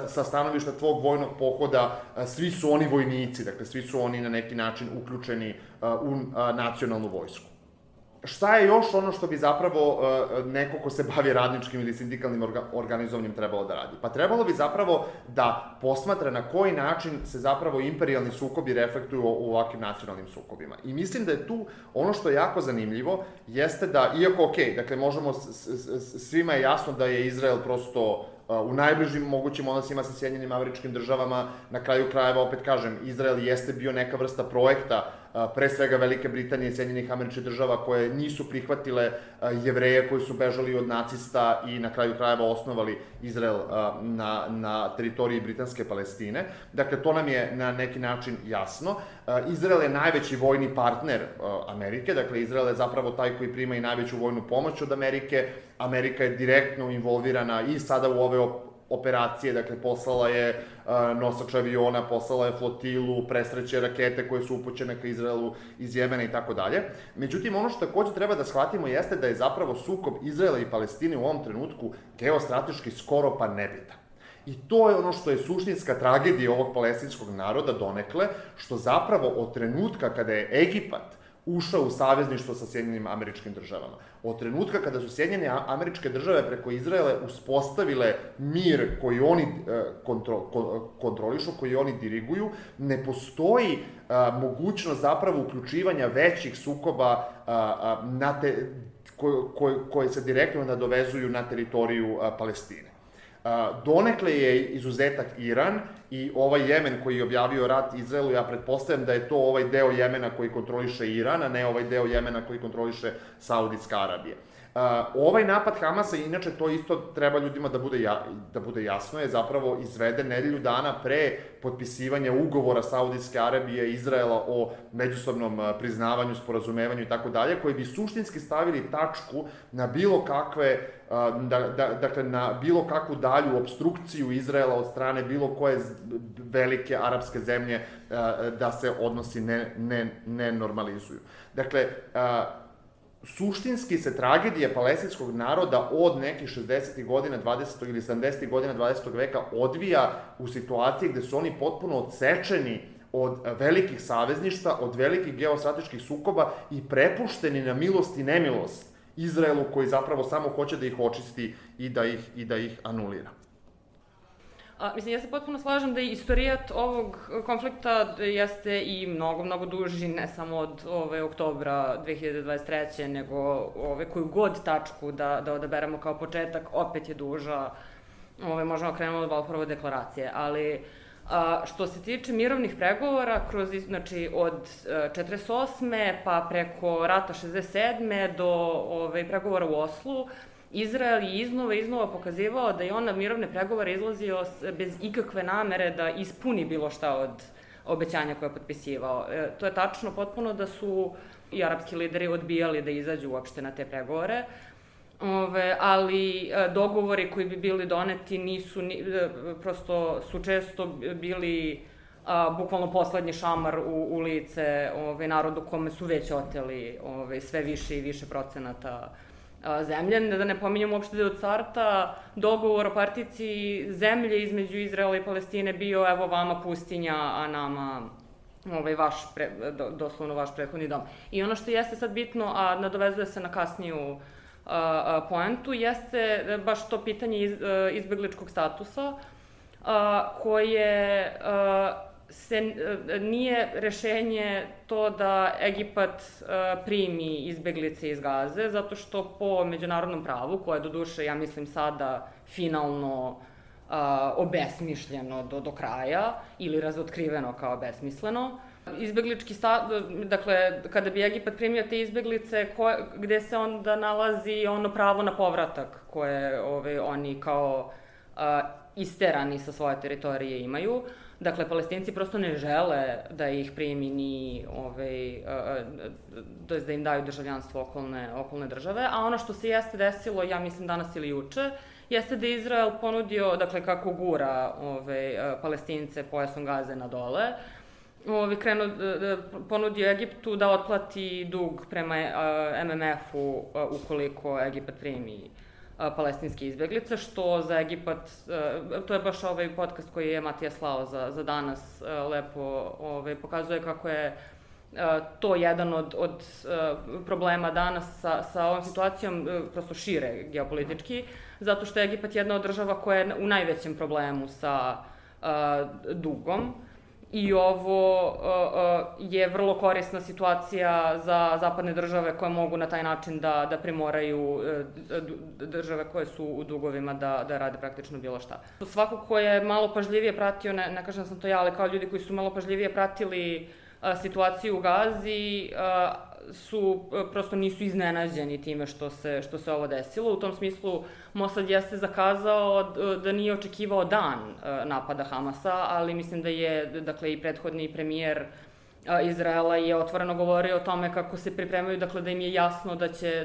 sa stanovišta tvog vojnog pohoda, svi su oni vojnici, dakle svi su oni na neki način uključeni u nacionalnu vojsku. Šta je još ono što bi zapravo neko ko se bavi radničkim ili sindikalnim organizovanjem trebalo da radi? Pa trebalo bi zapravo da posmatra na koji način se zapravo imperijalni sukobi reflektuju u ovakvim nacionalnim sukobima. I mislim da je tu ono što je jako zanimljivo, jeste da, iako dakle možemo, svima je jasno da je Izrael prosto u najbližim mogućim odnosima sa Sjedinjenim Američkim Državama, na kraju krajeva, opet kažem, Izrael jeste bio neka vrsta projekta, pre svega Velike Britanije i Sjedinjenih Američkih Država, koje nisu prihvatile Jevreje koji su bežali od nacista i na kraju krajeva osnovali Izrael na teritoriji britanske Palestine. Dakle, to nam je na neki način jasno. Izrael je najveći vojni partner Amerike, dakle, Izrael je zapravo taj koji prima i najveću vojnu pomoć od Amerike. Amerika je direktno involvirana i sada u ove operacije, dakle, poslala je nosač aviona, poslala je flotilu, presreće rakete koje su upućene ka Izraelu iz Jemena i tako dalje. Međutim, ono što takođe treba da shvatimo jeste da je zapravo sukob Izraela i Palestine u ovom trenutku geostrateški skoro pa nebitan. I to je ono što je suštinska tragedija ovog palestinskog naroda donekle, što zapravo od trenutka kada je Egipat ušao u savezništvo sa Sjedinjenim Američkim Državama, od trenutka kada su Sjedinjene Američke Države preko Izraela uspostavile mir koji oni kontrolišu, koji oni diriguju, ne postoji mogućnost zapravo uključivanja većih sukoba koje se direktno nadovezuju na teritoriju Palestine. Donekle je izuzetak Iran i ovaj Jemen koji je objavio rat Izraelu, ja pretpostavljam da je to ovaj deo Jemena koji kontroliše Iran, a ne ovaj deo Jemena koji kontroliše Saudijska Arabija. Ovaj napad Hamasa, inače to isto treba ljudima da bude jasno, je zapravo izveden nedelju dana pre potpisivanja ugovora Saudijske Arabije i Izraela o međusobnom priznavanju, sporazumevanju i tako dalje, koji bi suštinski stavili tačku na bilo kakve, dakle na bilo kakvu dalju obstrukciju Izraela od strane bilo koje velike arapske zemlje da se odnosi ne normalizuju. Dakle, suštinski se tragedija palestinskog naroda od nekih 60. godina 20. ili 70. godina 20. veka odvija u situaciji gde su oni potpuno odsečeni od velikih savezništa, od velikih geostrateških sukoba i prepušteni na milost i nemilost Izraelu koji zapravo samo hoće da ih očisti i da ih anulira. Mislim, ja se potpuno slažem da je istorijat ovog konflikta jeste i mnogo duži, ne samo od oktobra 2023. nego koju god tačku da odaberemo kao početak, opet je duža, možemo krenemo od Balfourove deklaracije, ali što se tiče mirovnih pregovora, znači od 48. pa preko rata 67. do pregovora u Oslu, Izrael je iznova pokazivao da je on na mirovne pregovore izlazio bez ikakve namere da ispuni bilo šta od obećanja koje je potpisivao. To je tačno potpuno da su i arapski lideri odbijali da izađu uopšte na te pregovore, ali dogovori koji bi bili doneti prosto su često bili bukvalno poslednji šamar u lice narodu kome su već oteli sve više i više procenata zemlje. Da ne pominjamo uopšte da je od starta dogovor o partici zemlje između Izraela i Palestine bio evo vama pustinja, a nama doslovno vaš prethodni dom. I ono što jeste sad bitno, a nadovezuje se na kasniju poentu, jeste baš to pitanje izbegličkog statusa, koje nije rešenje to da Egipat primi izbeglice iz Gaze, zato što po međunarodnom pravu, koje doduše, ja mislim, sada finalno obesmišljeno do kraja ili razotkriveno kao besmisleno. Izbeglički dakle, kada bi Egipat primio te izbeglice, gde se onda nalazi ono pravo na povratak koje oni kao isterani sa svoje teritorije imaju. Dakle, Palestinci prosto ne žele da ih primi ni, da im daju državljanstvo okolne države, a ono što se jeste desilo, ja mislim danas ili juče, jeste da je Izrael ponudio, dakle, kako gura Palestince pojasom Gaze na dole, ponudio Egiptu da otplati dug prema MMF-u ukoliko Egipat primi palestinske izbeglice, što za Egipat, to je baš ovaj podcast koji je Matija slao za danas, lepo pokazuje kako je to jedan od problema danas sa ovom situacijom, prosto šire geopolitički, zato što je Egipat jedna od država koja je u najvećem problemu sa dugom. I ovo je vrlo korisna situacija za zapadne države koje mogu na taj način da primoraju države koje su u dugovima da rade praktično bilo šta. Svako ko je malo pažljivije pratio, ne kažem da sam to ja, ali kao ljudi koji su malo pažljivije pratili situaciju u Gazi, prosto nisu iznenađeni time što se ovo desilo. U tom smislu Mossad jeste zakazao da nije očekivao dan napada Hamasa, ali mislim da je, dakle, i prethodni premijer Izraela je otvoreno govorio o tome kako se pripremaju, dakle, da im je jasno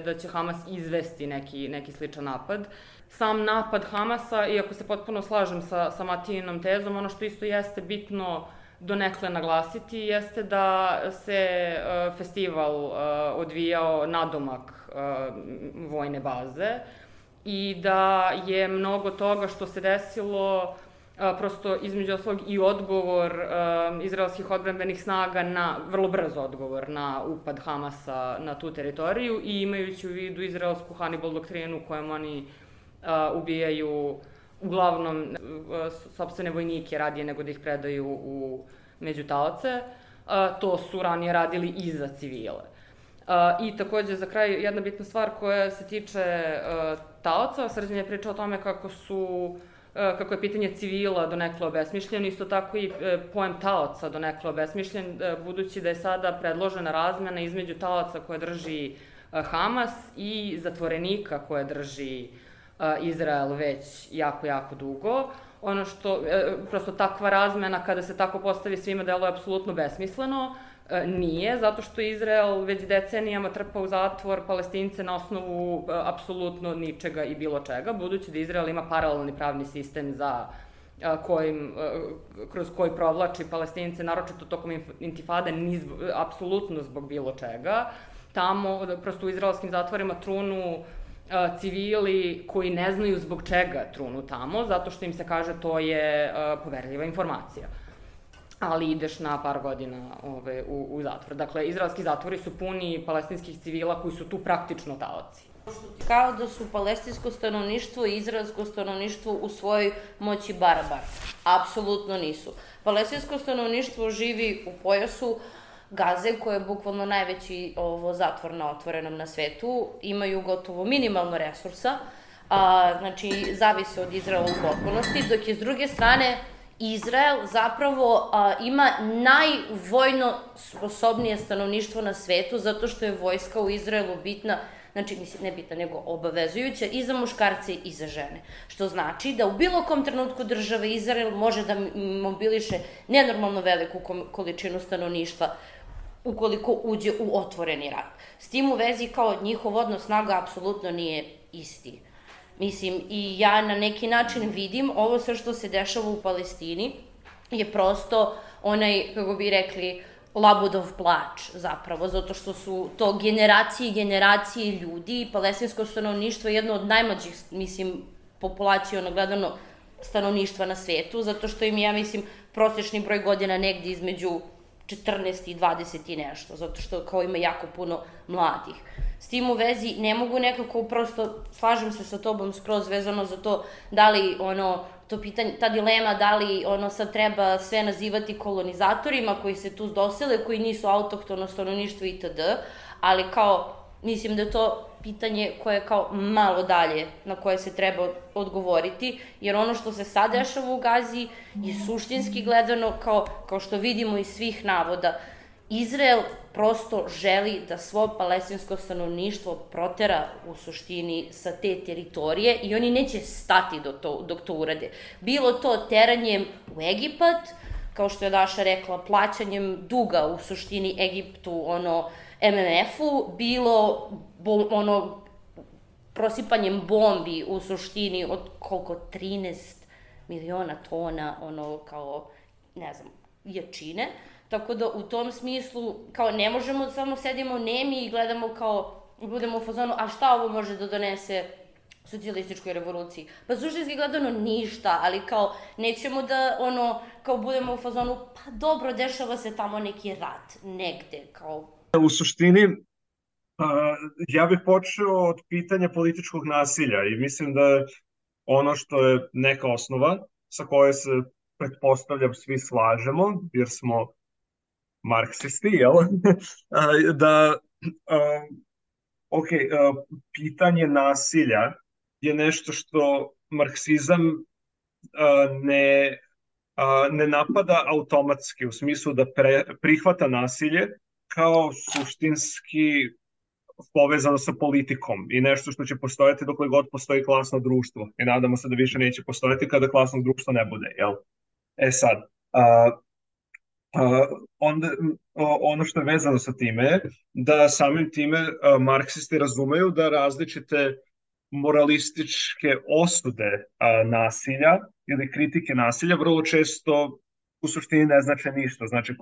da će Hamas izvesti neki sličan napad. Sam napad Hamasa, iako se potpuno slažem sa Matijinom tezom, ono što isto jeste bitno donekle naglasiti jeste da se festival odvijao nadomak vojne baze i da je mnogo toga što se desilo prosto između ostalog i odgovor izraelskih odbrambenih snaga vrlo brz odgovor na upad Hamasa na tu teritoriju i imajući u vidu izraelsku Hannibal doktrinu kojom oni ubijaju uglavnom sopstvene vojnike radije nego da ih predaju među taoce, to su ranije radili i za civile. I takođe, za kraj, jedna bitna stvar koja se tiče taoca, Srđan je pričao o tome kako je pitanje civila donekle obesmišljeno, isto tako i pojem taoca donekle obesmišljen, budući da je sada predložena razmena između taoca koje drži Hamas i zatvorenika koje drži Izrael već jako, jako dugo. Ono što, prosto takva razmena kada se tako postavi svima deluje apsolutno besmisleno, nije, zato što Izrael već decenijama trpa u zatvor Palestince na osnovu apsolutno ničega i bilo čega, budući da Izrael ima paralelni pravni sistem kroz koji provlači Palestince, naročito tokom intifade, apsolutno zbog bilo čega. Tamo, prosto u izraelskim zatvorima trunu civili koji ne znaju zbog čega trunu tamo, zato što im se kaže to je poverljiva informacija. Ali ideš na par godina u zatvor. Dakle, izraelski zatvori su puni palestinskih civila koji su tu praktično taoci. Kao da su palestinsko stanovništvo i izraelsko stanovništvo u svojoj moći barabar. Apsolutno nisu. Palestinsko stanovništvo živi u pojasu Gaze, koja je bukvalno najveći zatvor na otvorenom na svetu, imaju gotovo minimalno resursa, znači zavise od Izraela u potpunosti, dok je s druge strane Izrael zapravo ima najvojno sposobnije stanovništvo na svetu, zato što je vojska u Izraelu bitna, znači ne bitna nego obavezujuća i za muškarce i za žene. Što znači da u bilo kom trenutku države Izrael može da mobiliše nenormalno veliku količinu stanovništva ukoliko uđe u otvoreni rat. S tim u vezi kao njihov odnos snaga apsolutno nije isti. Mislim, i ja na neki način vidim ovo sve što se dešava u Palestini je prosto onaj, kako bi rekli, labudov plač zapravo, zato što su to generacije i generacije ljudi i palestinsko stanovništvo je jedno od najmlađih, mislim, populacijono gledano stanovništva na svetu, zato što im, ja mislim, prosječni broj godina negdje između 14 i 20 i nešto, zato što kao ima jako puno mladih. S tim u vezi ne mogu nekako prosto, slažem se sa tobom skroz vezano za to da li to pitanje, ta dilema da li sad treba sve nazivati kolonizatorima koji se tu dosele, koji nisu autohtono stanovništvo itd., ali kao, mislim da je to pitanje koje je kao malo dalje na koje se treba odgovoriti, jer ono što se sad dešava u Gazi je suštinski gledano, kao što vidimo iz svih navoda, Izrael prosto želi da svo palestinsko stanovništvo protera u suštini sa te teritorije i oni neće stati dok to urade. Bilo to teranjem u Egipat, kao što je Daša rekla, plaćanjem duga u suštini Egiptu, MMF-u, bilo prosipanjem bombi u suštini od koliko 13 miliona tona, kao, ne znam, jačine. Tako da u tom smislu, kao ne možemo samo sedimo nemi i gledamo kao, budemo u fazonu, a šta ovo može da donese socijalističkoj revoluciji? Pa suštinski gledano ništa, ali kao nećemo da kao budemo u fazonu, pa dobro, dešava se tamo neki rat, negde, kao. U suštini, ja bih počeo od pitanja političkog nasilja i mislim da je ono što je neka osnova sa koje se pretpostavljam svi slažemo, jer smo marksisti, jel? Pitanje nasilja je nešto što marksizam ne napada automatski, u smislu da prihvata nasilje kao suštinski povezano sa politikom i nešto što će postojati dokle god postoji klasno društvo. I nadamo se da više neće postojati kada klasno društvo ne bude, jel? Sad, onda ono što je vezano sa time je da samim time marksisti razumeju da različite moralističke osude nasilja ili kritike nasilja vrlo često u suštini ne znače ništa. Znači,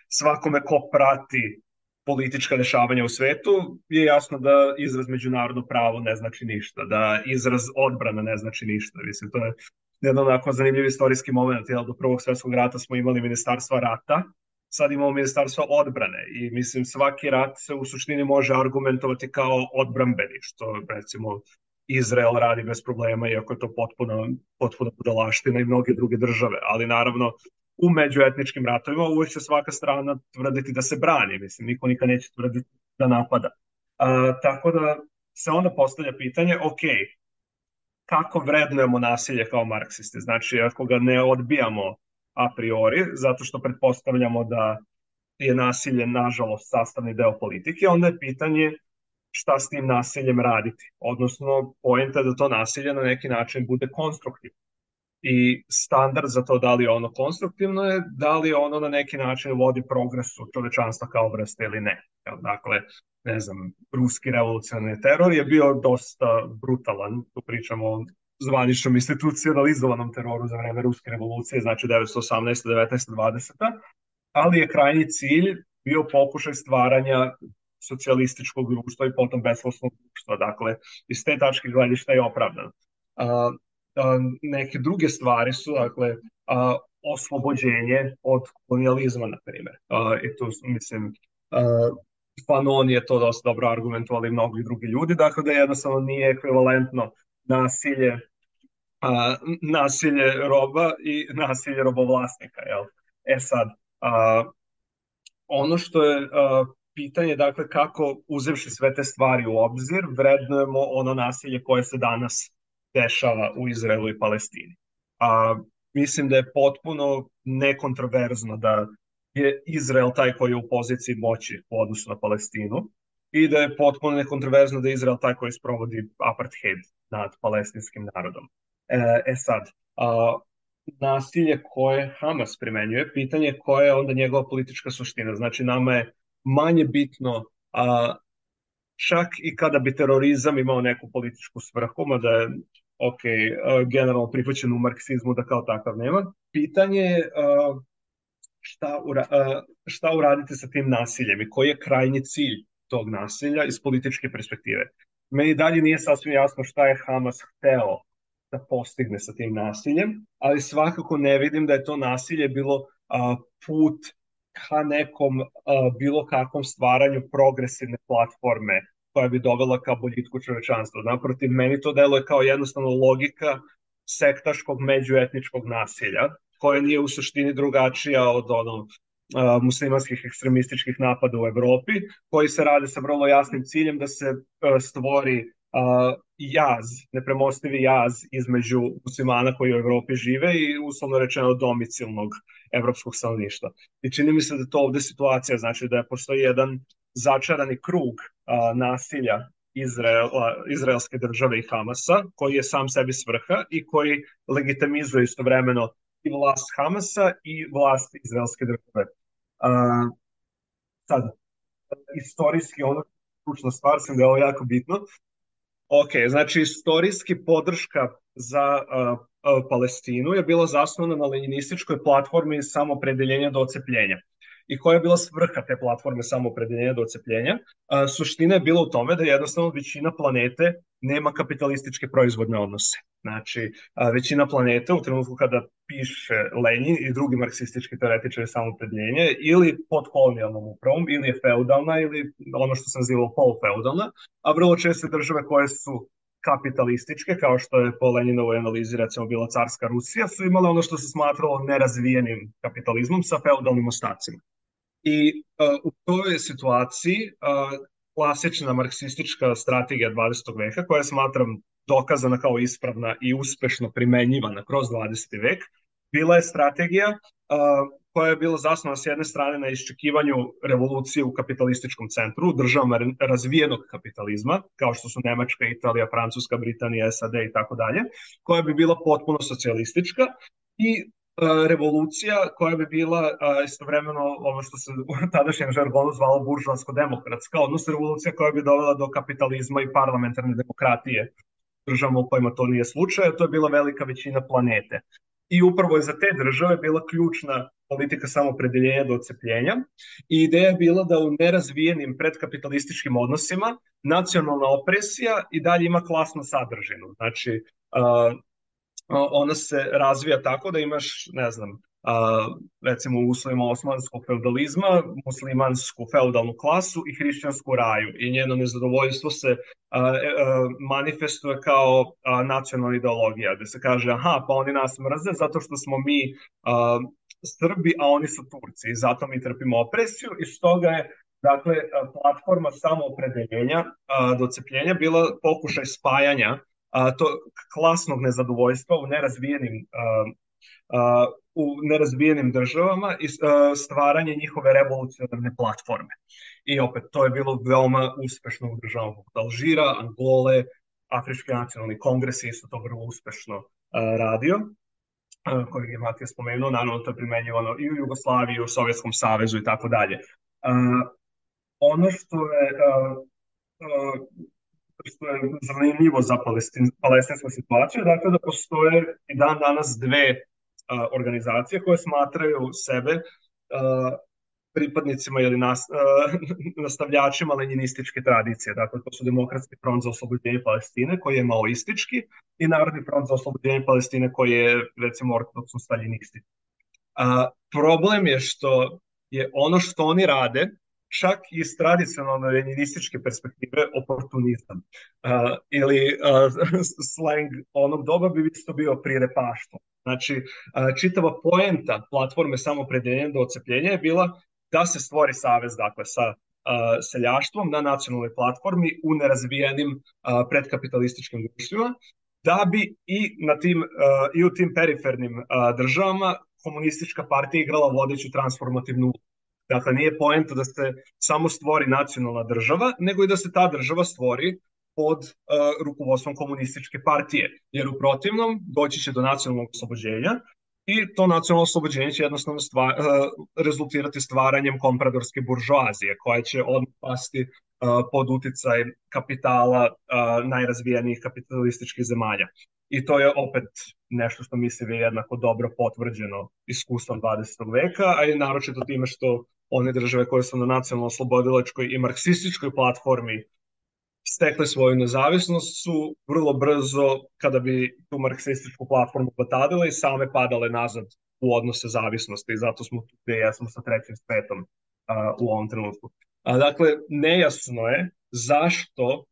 svakome ko prati politička dešavanja u svetu je jasno da izraz međunarodno pravo ne znači ništa, da izraz odbrana ne znači ništa. Mislim, to je jedan onako zanimljiv istorijski moment, jer do Prvog svjetskog rata smo imali ministarstva rata, sad imamo ministarstvo odbrane i mislim svaki rat se u suštini može argumentovati kao odbrambeni, što recimo Izrael radi bez problema, iako je to potpuno budalaština i mnoge druge države, ali naravno u međuetničkim ratovima uvijek će svaka strana tvrditi da se brani, mislim, niko nikad neće tvrditi da napada. Tako da se onda postavlja pitanje, kako vrednujemo nasilje kao marksisti? Znači, ako ga ne odbijamo a priori, zato što pretpostavljamo da je nasilje, nažalost, sastavni deo politike, onda je pitanje šta s tim nasiljem raditi. Odnosno, poenta je da to nasilje na neki način bude konstruktivno. I standard za to da li je ono konstruktivno je da li ono na neki način vodi progresu čovečanstva kao vrste ili ne. Dakle, ne znam, ruski revolucionarni teror je bio dosta brutalan, tu pričamo o zvaničnom institucionalizovanom teroru za vreme ruske revolucije, znači 1918. 19. 20. Ali je krajnji cilj bio pokušaj stvaranja socijalističkog društva i potom besposlovnog društva. Dakle, iz te tačke gledišta je opravdano. Neke druge stvari su, dakle, oslobođenje od kolonijalizma, na primjer. I tu, mislim, Fanon je to dosta dobro argumentovali mnogi drugi ljudi, dakle da jednostavno nije ekvivalentno nasilje roba i nasilje robovlasnika. Jel? Sad, ono što je pitanje, dakle, kako uzevši sve te stvari u obzir, vrednujemo ono nasilje koje se danas dešava u Izraelu i Palestini. Mislim da je potpuno nekontroverzno da je Izrael taj koji je u poziciji moći u odnosu na Palestinu i da je potpuno nekontroverzno da je Izrael taj koji sprovodi apartheid nad palestinskim narodom. Sad, nasilje koje Hamas primenjuje, pitanje koja je onda njegova politička suština. Znači, nama je manje bitno, čak i kada bi terorizam imao neku političku svrhu, mada je generalno prihvaćen u marksizmu da kao takav nema. Pitanje je šta uraditi sa tim nasiljem i koji je krajnji cilj tog nasilja iz političke perspektive. Meni dalje nije sasvim jasno šta je Hamas hteo da postigne sa tim nasiljem, ali svakako ne vidim da je to nasilje bilo put ka nekom bilo kakvom stvaranju progresivne platforme koja bi dovela ka boljitku čovečanstva. Naprotiv, meni to deluje kao jednostavno logika sektaškog međuetničkog nasilja, koja nije u suštini drugačija od muslimanskih ekstremističkih napada u Evropi, koji se rade sa vrlo jasnim ciljem da se stvori jaz, nepremostivi jaz između muslimana koji u Evropi žive i uslovno rečeno domicilnog evropskog stanovništva. I čini mi se da to ovde situacija, znači da postoji jedan začarani krug nasilja izraelske države i Hamasa, koji je sam sebi svrha i koji legitimizuje istovremeno i vlast Hamasa i vlast izraelske države. Sad, istorijski, ono ključna stvar sam da je ovo jako bitno. Ok, znači istorijski podrška za Palestinu je bila zasnovana na leninističkoj platformi samopredeljenja do ocepljenja. I koja je bila svrha te platforme samopredeljenja do ocepljenja? Suština je bila u tome da jednostavno većina planete nema kapitalističke proizvodne odnose. Znači, većina planete u trenutku kada piše Lenin i drugi marksistički teoretičari samopredeljenja ili pod kolonijalnom upravom, ili je feudalna, ili ono što sam nazivao polufeudalna, a vrlo često države koje su kapitalističke, kao što je po Leninovoj analizi recimo bila carska Rusija, su imale ono što se smatralo nerazvijenim kapitalizmom sa feudalnim ostacima. I u toj situaciji klasična marksistička strategija 20. veka, koja smatram dokazana kao ispravna i uspešno primenjivana kroz 20. vek, bila je strategija koja je bila zasnovana s jedne strane na iščekivanju revolucije u kapitalističkom centru, državama razvijenog kapitalizma, kao što su Nemačka, Italija, Francuska, Britanija, SAD i tako dalje, koja bi bila potpuno socijalistička i revolucija koja bi bila istovremeno ono što se u tadašnjem žargonu zvalo buržoasko-demokratska, odnosno revolucija koja bi dovela do kapitalizma i parlamentarne demokratije državama u kojima to nije slučaj, to je bila velika većina planete. I upravo je za te države bila ključna politika samopredeljenja do ocepljenja i ideja je bila da u nerazvijenim predkapitalističkim odnosima nacionalna opresija i dalje ima klasnu sadržinu. Znači, ona se razvija tako da imaš, ne znam, recimo u uslovima osmanskog feudalizma, muslimansku feudalnu klasu i hrišćansku raju i njeno nezadovoljstvo se manifestuje kao nacionalna ideologija, gde se kaže aha, pa oni nas mrze zato što smo mi Srbi, a oni su Turci i zato mi trpimo opresiju i stoga je dakle platforma samoopredeljenja do ocepljenja bila pokušaj spajanja to klasnog nezadovoljstva u nerazvijenim državama i stvaranje njihove revolucionarne platforme. I opet, to je bilo veoma uspešno u državama poput Alžira, Angole, Afrički nacionalni kongres je isto to vrlo uspešno radio, kojeg je Matija spomenuo, naravno to je primenjivano i u Jugoslaviji, i u Sovjetskom savezu i tako dalje. Ono što je zanimljivo za palestinsku situaciju, dakle da postoje i dan danas dve organizacije koje smatraju sebe pripadnicima ili nastavljačima leninističke tradicije. Dakle, to su Demokratski front za oslobođenje Palestine, koji je maoistički, i Narodni front za oslobođenje Palestine, koji je, recimo, ortodoksno staljinistički. Problem je što je ono što oni rade, čak iz tradicionalne leninističke perspektive, oportunizam. Ili slang onog doba bi isto bio prirepaštvo. Znači, čitava poenta platforme samopredeljenja do ocepljenja je bila da se stvori savez, dakle, sa seljaštvom na nacionalnoj platformi u nerazvijenim predkapitalističkim društvima, da bi i u tim perifernim državama komunistička partija igrala vodeću transformativnu ulogu. Dakle, nije poenta da se samo stvori nacionalna država, nego i da se ta država stvori pod rukovodstvom komunističke partije, jer u protivnom doći će do nacionalnog oslobođenja i to nacionalno oslobođenje će jednostavno rezultirati stvaranjem kompradorske buržoazije, koja će odmah pasti pod uticaj kapitala najrazvijenijih kapitalističkih zemalja. I to je opet nešto što mislim je jednako dobro potvrđeno iskustvom 20. veka, a i naročito time što one države koje su na nacionalno-oslobodilačkoj i marksističkoj platformi stekle svoju nezavisnost su vrlo brzo, kada bi tu marksističku platformu potadile, i same padale nazad u odnose zavisnosti, i zato smo tu gde jesmo sa trećim svetom u ovom trenutku. Dakle, nejasno je zašto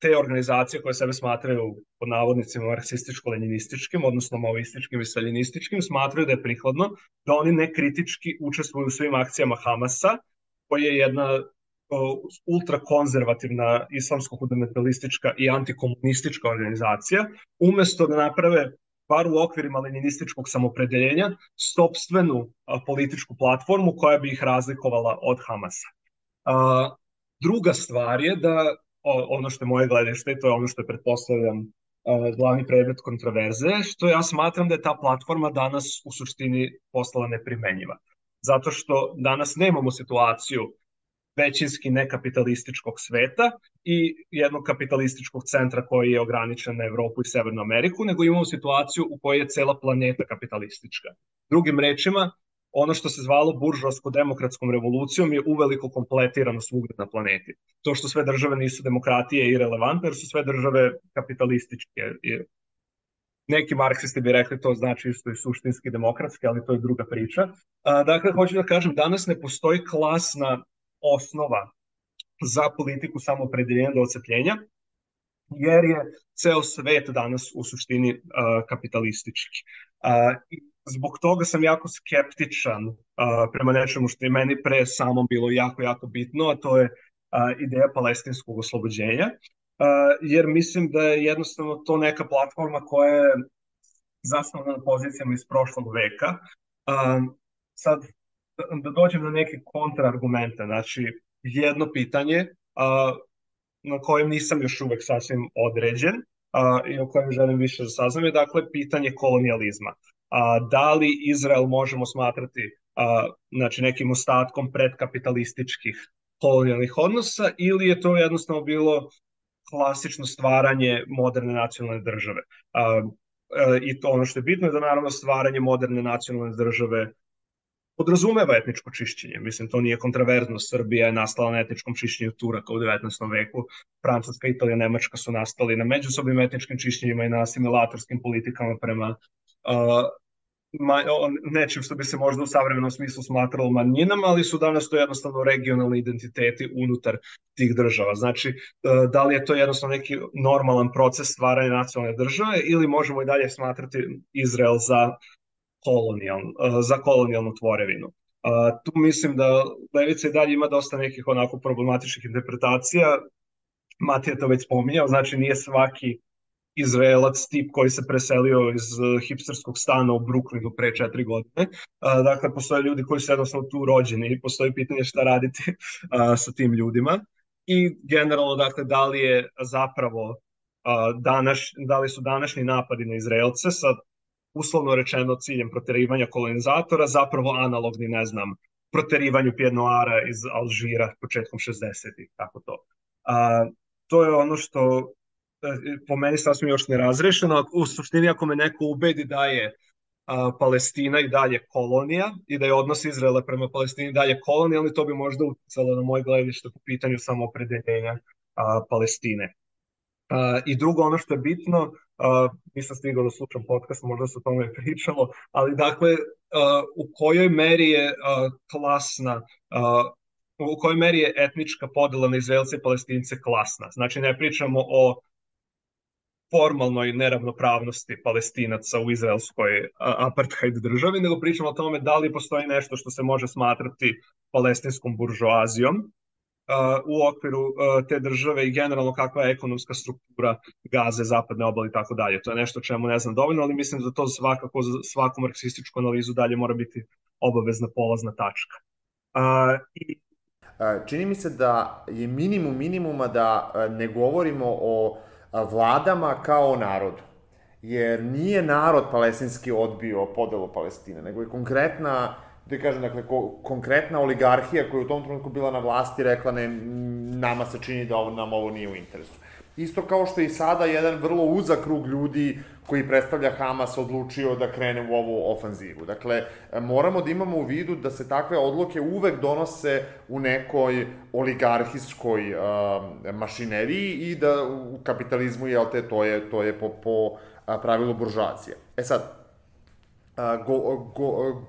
te organizacije koje sebe smatraju pod navodnicima marksističko-leninističkim, odnosno maoističkim i staljinističkim, smatraju da je prikladno da oni nekritički učestvuju u svim akcijama Hamasa, koja je jedna ultrakonzervativna islamsko-fundamentalistička i antikomunistička organizacija, umesto da naprave, bar u okvirima leninističkog samopredeljenja, sopstvenu političku platformu koja bi ih razlikovala od Hamasa. Druga stvar je da, ono što je moje gledište, to je ono što je, pretpostavljam, glavni predmet kontroverze, što ja smatram da je ta platforma danas u suštini postala neprimenjiva. Zato što danas nemamo situaciju većinski nekapitalističkog sveta i jednog kapitalističkog centra koji je ograničen na Evropu i Severnu Ameriku, nego imamo situaciju u kojoj je cela planeta kapitalistička. Drugim rečima, ono što se zvalo buržoasko-demokratskom revolucijom je uveliko kompletirano svugde na planeti. To što sve države nisu demokratije je irelevantno, jer su sve države kapitalističke. Neki marksisti bi rekli to znači isto i suštinski demokratske, ali to je druga priča. Dakle, hoću da kažem, danas ne postoji klasna osnova za politiku samoopredeljenja do ocepljenja, jer je ceo svet danas u suštini kapitalistički. Zbog toga sam jako skeptičan prema nečemu što je meni pre samo bilo jako bitno, a to je ideja palestinskog oslobođenja, jer mislim da je jednostavno to neka platforma koja je zasnovana na pozicijama iz prošlog veka. Sad, da dođem na neke kontraargumente, znači jedno pitanje na kojem nisam još uvek sasvim određen i o kojem želim više da saznam je, dakle, pitanje kolonijalizma. Da li Izrael možemo smatrati znači nekim ostatkom predkapitalističkih kolonijalnih odnosa, ili je to jednostavno bilo klasično stvaranje moderne nacionalne države. I to ono što je bitno je da naravno stvaranje moderne nacionalne države podrazumeva etničko čišćenje. Mislim, to nije kontraverzno. Srbija je nastala na etničkom čišćenju Turaka u 19. veku. Francuska, Italija, Nemačka su nastali na međusobnim etničkim čišćenjima i na asimilatorskim politikama prema nečim što bi se možda u savremenom smislu smatralo manjinama, ali su danas to jednostavno regionalni identiteti unutar tih država. Znači, da li je to jednostavno neki normalan proces stvaranja nacionalne države ili možemo i dalje smatrati Izrael za kolonijalnu tvorevinu. Tu mislim da levica i dalje ima dosta nekih onako problematičnih interpretacija. Matija to već spominjao, znači nije svaki Izraelac tip koji se preselio iz hipsterskog stana u Brooklynu pre 4 godine. Dakle, postoje ljudi koji su jednostavno tu rođeni i postoji pitanje šta raditi sa tim ljudima. I generalno, dakle, da li je zapravo da li su današnji napadi na Izraelce sa uslovno rečeno ciljem proterivanja kolonizatora zapravo analogni, ne znam, proterivanju Pied Noira iz Alžira početkom 60-ih, tako to. To je ono što po meni sasvim još ne razrešeno. U suštini, ako me neko ubedi da je Palestina i dalje kolonija i da je odnos Izraela prema Palestini dalje kolonijalni, to bi možda uticalo na moje gledište po pitanju samoopredeljenja Palestine. I drugo, ono što je bitno, nisam stigao da slušam podcast, možda se o tome pričalo, ali dakle, u kojoj meri je u kojoj meri je etnička podela na Izraelce i Palestince klasna. Znači, ne pričamo o formalnoj neravnopravnosti Palestinaca u izraelskoj apartheid državi, nego pričamo o tome da li postoji nešto što se može smatrati palestinskom buržoazijom u okviru te države i generalno kakva je ekonomska struktura Gaze, zapadne obale i tako dalje. To je nešto čemu ne znam dovoljno, ali mislim da to svakako za svaku marksističku analizu dalje mora biti obavezna polazna tačka. Čini mi se da je minimum minimuma da ne govorimo o vladama kao o narodu. Jer nije narod palestinski odbio podelu Palestine, nego je konkretna, da kažem, dakle, konkretna oligarhija koja je u tom trenutku bila na vlasti rekla ne, nama se čini da nam ovo nije u interesu. Isto kao što i sada jedan vrlo uzak krug ljudi koji predstavlja Hamas odlučio da krene u ovu ofanzivu. Dakle, moramo da imamo u vidu da se takve odluke uvek donose u nekoj oligarhijskoj mašineriji i da u kapitalizmu, jel te, to je po pravilu buržoazije. E sad,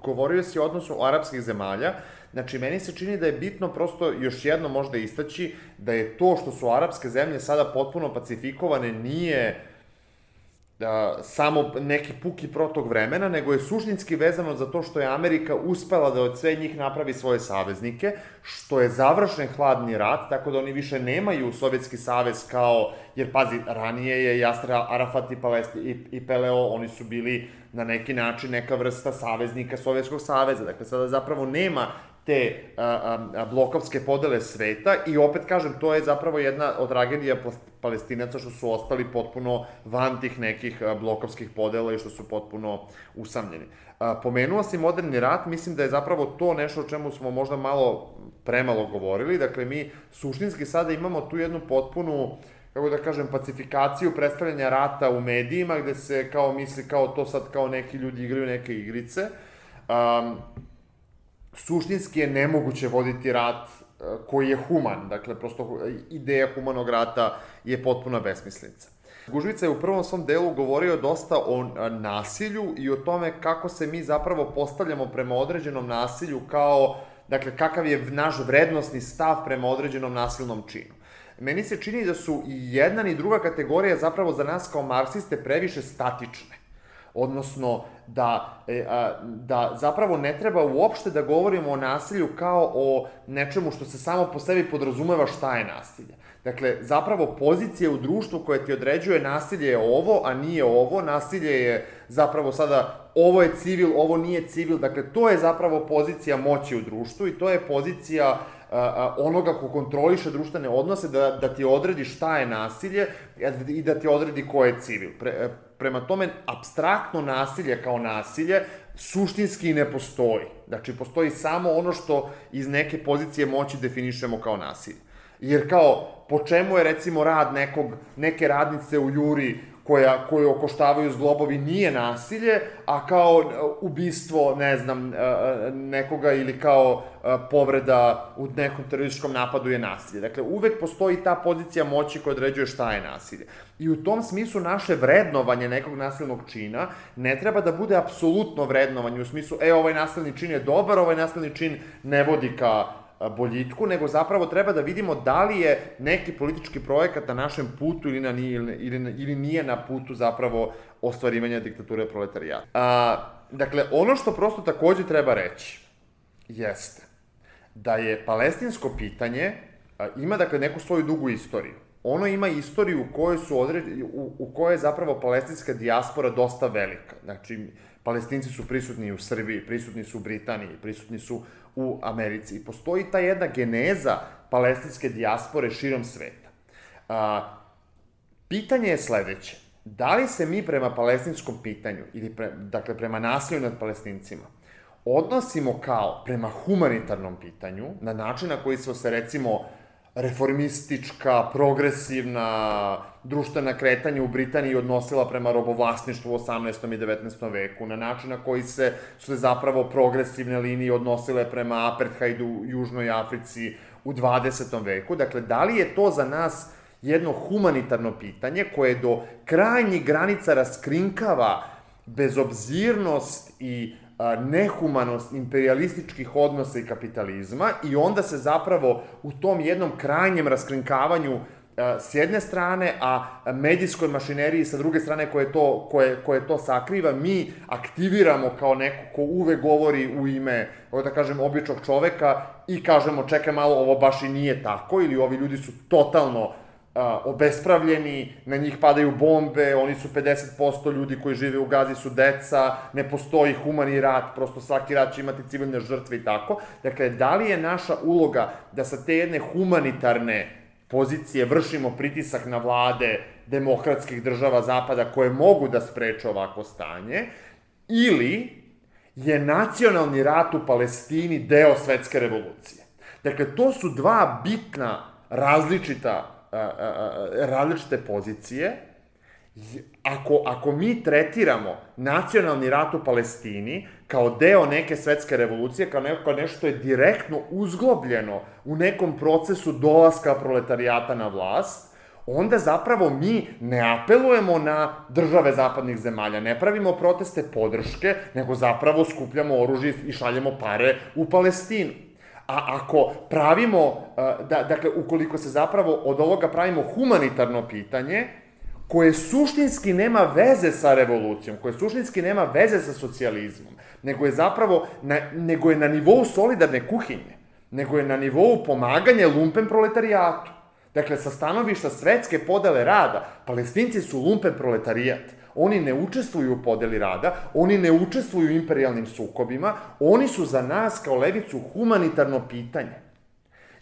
govorio si o odnosu arapskih zemalja. Znači, meni se čini da je bitno prosto još jedno možda istaći da je to što su arapske zemlje sada potpuno pacifikovane nije samo neki puki protok vremena, nego je suštinski vezano za to što je Amerika uspela da od sve njih napravi svoje saveznike, što je završen hladni rat, tako da oni više nemaju Sovjetski savez kao, jer pazi, ranije je Jasir Arafat i PLO, oni su bili na neki način neka vrsta saveznika Sovjetskog saveza, dakle sada zapravo nema te blokovske podele sveta i opet kažem, to je zapravo jedna od tragedija Palestinaca što su ostali potpuno van tih nekih blokovskih podela i što su potpuno usamljeni. Pomenuo si moderni rat, mislim da je zapravo to nešto o čemu smo možda premalo govorili, dakle mi suštinski sada imamo tu jednu potpunu, kako da kažem, pacifikaciju predstavljanja rata u medijima, gde se kao misli kao to sad kao neki ljudi igraju neke igrice. Suštinski je nemoguće voditi rat koji je human, dakle, prosto ideja humanog rata je potpuna besmislica. Gužvica je u prvom svom delu govorio dosta o nasilju i o tome kako se mi zapravo postavljamo prema određenom nasilju kao, dakle, kakav je naš vrednosni stav prema određenom nasilnom činu. Meni se čini da su i jedna i druga kategorija zapravo za nas kao marksiste previše statične. Odnosno, da zapravo ne treba uopšte da govorimo o nasilju kao o nečemu što se samo po sebi podrazumeva šta je nasilje. Dakle, zapravo pozicija u društvu koja ti određuje nasilje je ovo, a nije ovo, nasilje je zapravo sada ovo je civil, ovo nije civil, dakle, to je zapravo pozicija moći u društvu i to je pozicija onoga ko kontroliše društvene odnose da ti odredi šta je nasilje i da ti odredi ko je civil. Prema tome, apstraktno nasilje kao nasilje suštinski ne postoji. Znači, postoji samo ono što iz neke pozicije moći definišemo kao nasilje. Jer kao, po čemu je recimo rad neke radnice u Juri koju okoštavaju zglobovi nije nasilje, a kao ubistvo, ne znam, nekoga ili kao povreda u nekom terorističkom napadu je nasilje. Dakle, uvek postoji ta pozicija moći koja određuje šta je nasilje. I u tom smislu naše vrednovanje nekog nasilnog čina ne treba da bude apsolutno vrednovanje u smislu, ovaj nasilni čin je dobar, ovaj nasilni čin ne vodi ka boljitku, nego zapravo treba da vidimo da li je neki politički projekat na našem putu ili nije na putu zapravo ostvarivanja diktature proletarijata. Dakle, ono što prosto takođe treba reći jeste da je palestinsko pitanje ima dakle neku svoju dugu istoriju. Ono ima istoriju u kojoj je zapravo palestinska dijaspora dosta velika. Znači, Palestinci su prisutni u Srbiji, prisutni su u Britaniji, prisutni su u Americi. I postoji ta jedna geneza palestinske dijaspore širom sveta. Pitanje je sledeće. Da li se mi prema palestinskom pitanju, ili dakle prema nasilju nad Palestincima, odnosimo kao prema humanitarnom pitanju, na način na koji smo se recimo reformistička, progresivna, društvena kretanja u Britaniji odnosila prema robovlasništvu u 18. i 19. veku, na način na koji su se zapravo progresivne linije odnosile prema apartheidu u Južnoj Africi u 20. veku. Dakle, da li je to za nas jedno humanitarno pitanje koje do krajnjih granica raskrinkava bezobzirnost i nehumanost imperialističkih odnosa i kapitalizma i onda se zapravo u tom jednom krajnjem raskrinkavanju s jedne strane, a medijskoj mašineriji sa druge strane koje to sakriva, mi aktiviramo kao neko ko uvek govori u ime, da kažem, običnog čoveka i kažemo čekaj malo, ovo baš i nije tako, ili ovi ljudi su totalno obespravljeni, na njih padaju bombe, oni su 50% ljudi koji žive u Gazi su deca, ne postoji humani rat, prosto svaki rat će imati civilne žrtve i tako. Dakle, da li je naša uloga da sa te jedne humanitarne pozicije vršimo pritisak na vlade demokratskih država Zapada koje mogu da spreče ovako stanje, ili je nacionalni rat u Palestini deo svetske revolucije? Dakle, to su dva bitna različite pozicije. Ako mi tretiramo nacionalni rat u Palestini kao deo neke svetske revolucije, kao nešto što je direktno uzglobljeno u nekom procesu dolaska proletarijata na vlast, onda zapravo mi ne apelujemo na države zapadnih zemalja, ne pravimo proteste podrške, nego zapravo skupljamo oružje i šaljemo pare u Palestinu. A ako pravimo, dakle, ukoliko se zapravo od ovoga pravimo humanitarno pitanje, koje suštinski nema veze sa revolucijom, koje suštinski nema veze sa socijalizmom, nego je na nivou solidarne kuhinje, nego je na nivou pomaganja lumpen proletarijatu. Dakle, sa stanovišta svetske podele rada, Palestinci su lumpen proletarijat. Oni ne učestvuju u podeli rada, oni ne učestvuju u imperijalnim sukobima, oni su za nas kao levicu humanitarno pitanje.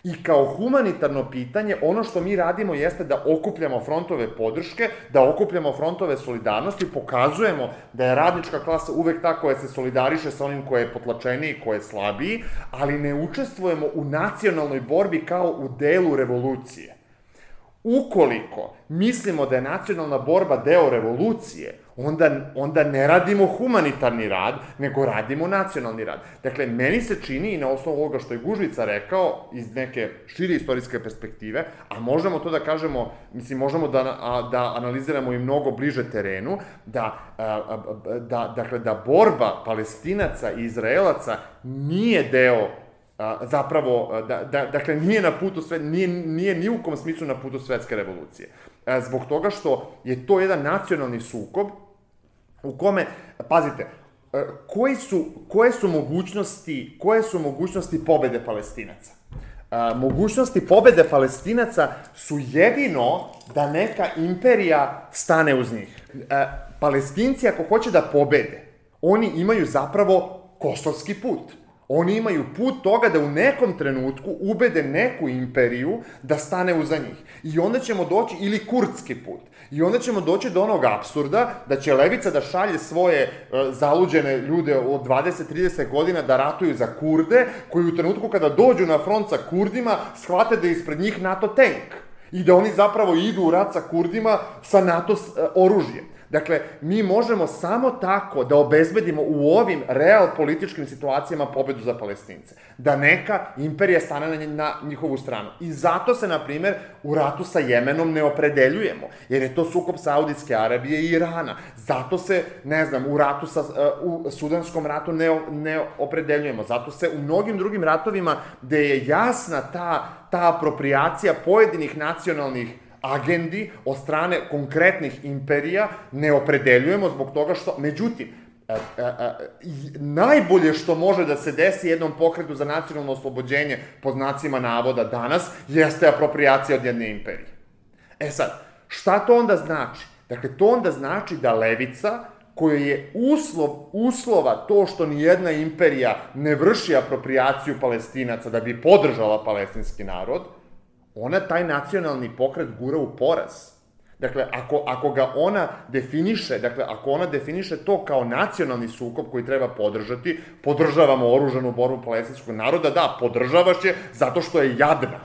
I kao humanitarno pitanje, ono što mi radimo jeste da okupljamo frontove podrške, da okupljamo frontove solidarnosti, pokazujemo da je radnička klasa uvek ta koja se solidariše sa onim ko je potlačeniji, ko je slabiji, ali ne učestvujemo u nacionalnoj borbi kao u delu revolucije. Ukoliko mislimo da je nacionalna borba deo revolucije, onda ne radimo humanitarni rad, nego radimo nacionalni rad. Dakle, meni se čini, i na osnovu ovoga što je Gužvica rekao, iz neke šire istorijske perspektive, a možemo to da kažemo, možemo da analiziramo i mnogo bliže terenu, da borba Palestinaca i Izraelaca nije deo zapravo, dakle, nije na putu nije ni u kom smislu na putu svetske revolucije. Zbog toga što je to jedan nacionalni sukob u kome, pazite, koje su mogućnosti pobede Palestinaca? Mogućnosti pobede Palestinaca su jedino da neka imperija stane uz njih. Palestinci, ako hoće da pobede, oni imaju zapravo kosovski put. Oni imaju put toga da u nekom trenutku ubede neku imperiju da stane uza njih. I onda ćemo doći, ili kurdski put, i onda ćemo doći do onog apsurda da će levica da šalje svoje zaluđene ljude od 20-30 godina da ratuju za Kurde, koji u trenutku kada dođu na front sa Kurdima shvate da je ispred njih NATO tank i da oni zapravo idu u rat sa Kurdima sa NATO oružjem. Dakle, mi možemo samo tako da obezbedimo u ovim real političkim situacijama pobedu za Palestince. Da neka imperija stane na njihovu stranu. I zato se, na primer, u ratu sa Jemenom ne opredeljujemo, jer je to sukob Saudijske Arabije i Irana. Zato se, u Sudanskom ratu ne opredeljujemo. Zato se u mnogim drugim ratovima, gde je jasna ta apropriacija pojedinih nacionalnih agendi od strane konkretnih imperija ne opredeljujemo zbog toga što, međutim, najbolje što može da se desi jednom pokretu za nacionalno oslobođenje, po znacima navoda danas, jeste apropriacija od jedne imperije. Sad, šta to onda znači? Dakle, to onda znači da levica, kojoj je uslova to što nijedna imperija ne vrši apropriaciju Palestinaca da bi podržala palestinski narod, ona taj nacionalni pokret gura u poraz. Dakle, ako ga ona definiše, ako ona definiše to kao nacionalni sukob koji treba podržati, podržavamo oružanu borbu palestinskog naroda, da, podržavaš je zato što je jadna.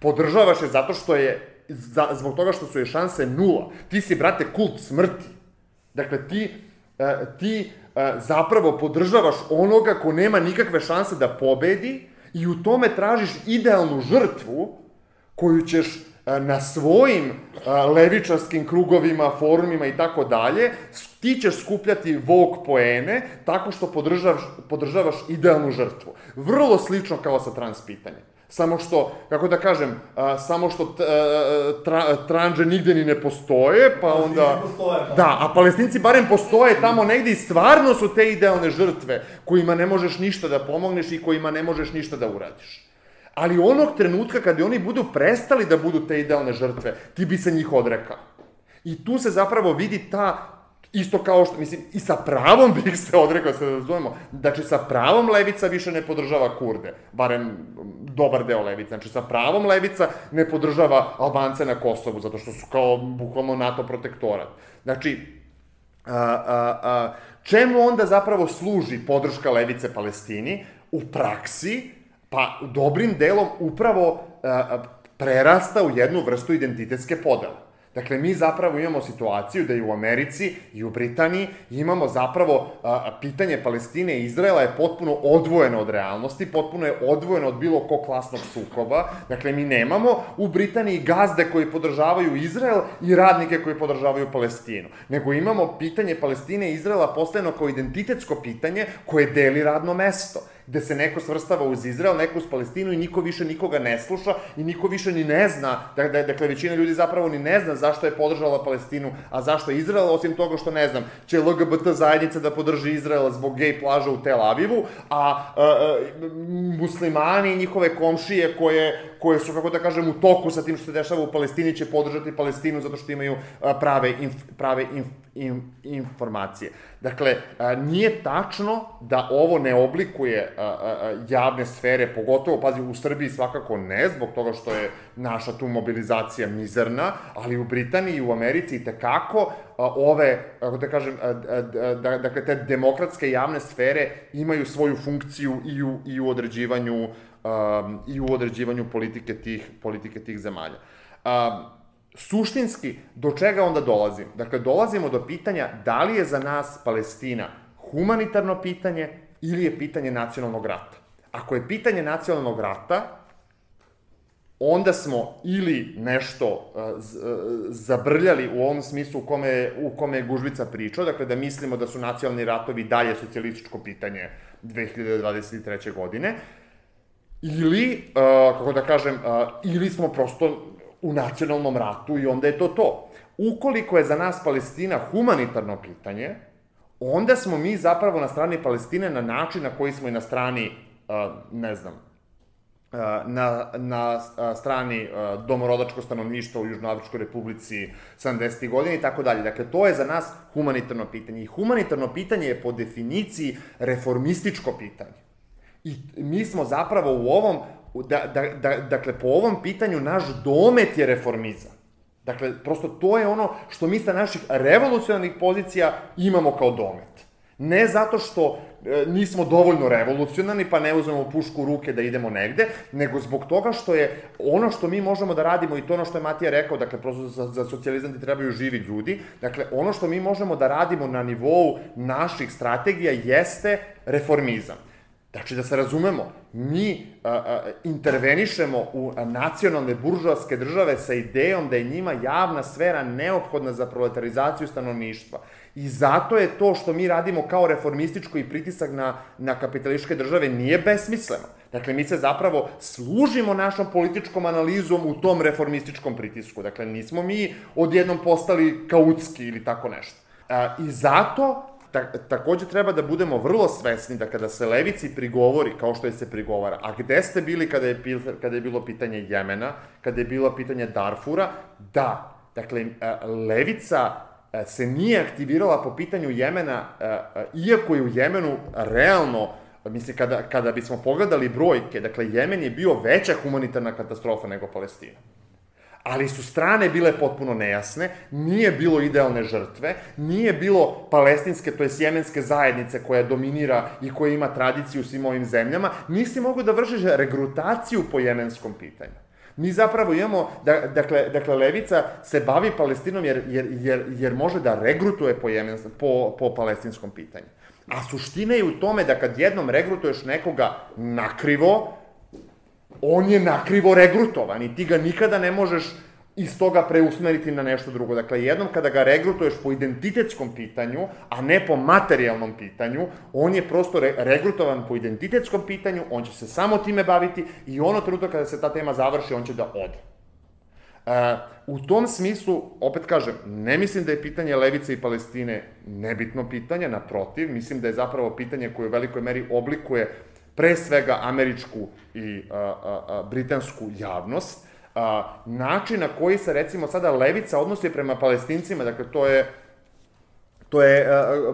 Podržavaš je zato što je, zbog toga što su je šanse nula. Ti si, brate, kult smrti. Dakle, ti zapravo podržavaš onoga ko nema nikakve šanse da pobedi i u tome tražiš idealnu žrtvu koju ćeš na svojim levičarskim krugovima, forumima i tako dalje, ti ćeš skupljati Vogue poene tako što podržavaš idealnu žrtvu. Vrlo slično kao sa trans pitanjem. Samo što, kako da kažem, tranže nigde ni ne postoje, pa onda... Da, a Palestinci barem postoje tamo negde i stvarno su te idealne žrtve kojima ne možeš ništa da pomogneš i kojima ne možeš ništa da uradiš. Ali onog trenutka kada oni budu prestali da budu te idealne žrtve, ti bi se njih odrekao. I tu se zapravo vidi isto kao što, mislim, i sa pravom bih se odrekao, se razumemo, znači sa pravom levica više ne podržava Kurde, barem dobar deo levica, znači sa pravom levica ne podržava Albance na Kosovu, zato što su kao bukvalno NATO protektorat. Znači, čemu onda zapravo služi podrška levice Palestini? U praksi, pa dobrim delom upravo prerasta u jednu vrstu identitetske podele. Dakle, mi zapravo imamo situaciju da i u Americi i u Britaniji imamo zapravo pitanje Palestine i Izraela je potpuno odvojeno od realnosti, potpuno je odvojeno od bilo kog klasnog sukoba. Dakle, mi nemamo u Britaniji gazde koji podržavaju Izrael i radnike koji podržavaju Palestinu. Nego imamo pitanje Palestine i Izraela postavljeno kao identitetsko pitanje koje deli radno mesto, gde se neko svrstava uz Izrael, neko uz Palestinu i niko više nikoga ne sluša i niko više ni ne zna, dakle većina ljudi zapravo ni ne zna zašto je podržala Palestinu, a zašto je Izrael, osim toga što ne znam, će LGBT zajednica da podrži Izrael zbog gej plaža u Tel Avivu, a muslimani i njihove komšije koje su, kako da kažem, u toku sa tim što se dešava u Palestini će podržati Palestinu zato što imaju prave informacije. Dakle, nije tačno da ovo ne oblikuje javne sfere, pogotovo, pazi, u Srbiji svakako ne, zbog toga što je naša tu mobilizacija mizerna, ali u Britaniji i u Americi i tekako ove, kako da kažem, dakle, te demokratske javne sfere imaju svoju funkciju i u određivanju politike tih zemalja. Suštinski, do čega onda dolazim? Dakle, dolazimo do pitanja da li je za nas Palestina humanitarno pitanje ili je pitanje nacionalnog rata. Ako je pitanje nacionalnog rata, onda smo ili nešto zabrljali u ovom smislu u kome je Gužvica pričao, dakle da mislimo da su nacionalni ratovi dalje socijalističko pitanje 2023. godine, ili, kako da kažem, ili smo prosto u nacionalnom ratu i onda je to. Ukoliko je za nas Palestina humanitarno pitanje, onda smo mi zapravo na strani Palestine na način na koji smo i na strani, ne znam, na strani domorodačko stanovništva u Južnoafričkoj republici 70. godina i tako dalje. Dakle, to je za nas humanitarno pitanje. I humanitarno pitanje je po definiciji reformističko pitanje. I mi smo zapravo u ovom, dakle, po ovom pitanju naš domet je reformizam. Dakle, prosto to je ono što mi sa naših revolucionarnih pozicija imamo kao domet. Ne zato što nismo dovoljno revolucionarni, pa ne uzmemo pušku u ruke da idemo negde, nego zbog toga što je ono što mi možemo da radimo, i to ono što je Matija rekao, dakle, prosto za socijalizam ti trebaju živi ljudi, dakle, ono što mi možemo da radimo na nivou naših strategija jeste reformizam. Znači, da se razumemo, mi intervenišemo u nacionalne buržoaske države sa idejom da je njima javna sfera neophodna za proletarizaciju stanovništva. I zato je to što mi radimo kao reformističko i pritisak na kapitalističke države nije besmisleno. Dakle, mi se zapravo služimo našom političkom analizom u tom reformističkom pritisku. Dakle, nismo mi odjednom postali kautski ili tako nešto. I zato takođe treba da budemo vrlo svesni da kada se levici prigovori, kao što je se prigovara, a gde ste bili kada je bilo pitanje Jemena, kada je bilo pitanje Darfura, da, dakle, levica se nije aktivirala po pitanju Jemena, iako je u Jemenu realno, mislim, kada bismo pogledali brojke, dakle, Jemen je bio veća humanitarna katastrofa nego Palestina. Ali su strane bile potpuno nejasne, nije bilo idealne žrtve, nije bilo palestinske, to je jemenske zajednice koja dominira i koja ima tradiciju u svim ovim zemljama, nisi mogu da vršiš regrutaciju po jemenskom pitanju. Mi zapravo imamo, dakle, levica se bavi Palestinom jer može da regrutuje po palestinskom pitanju. A suština je u tome da kad jednom regrutuješ nekoga nakrivo, on je nakrivo regrutovan i ti ga nikada ne možeš iz toga preusmeriti na nešto drugo. Dakle, jednom kada ga regrutuješ po identitetskom pitanju, a ne po materijalnom pitanju, on je prosto regrutovan po identitetskom pitanju, on će se samo time baviti i ono trenutak kada se ta tema završi, on će da ode. U tom smislu, opet kažem, ne mislim da je pitanje levice i Palestine nebitno pitanje, naprotiv, mislim da je zapravo pitanje koje u velikoj meri oblikuje pre svega američku i britansku javnost, način na koji se, recimo, sada levica odnosi prema Palestincima, dakle, to je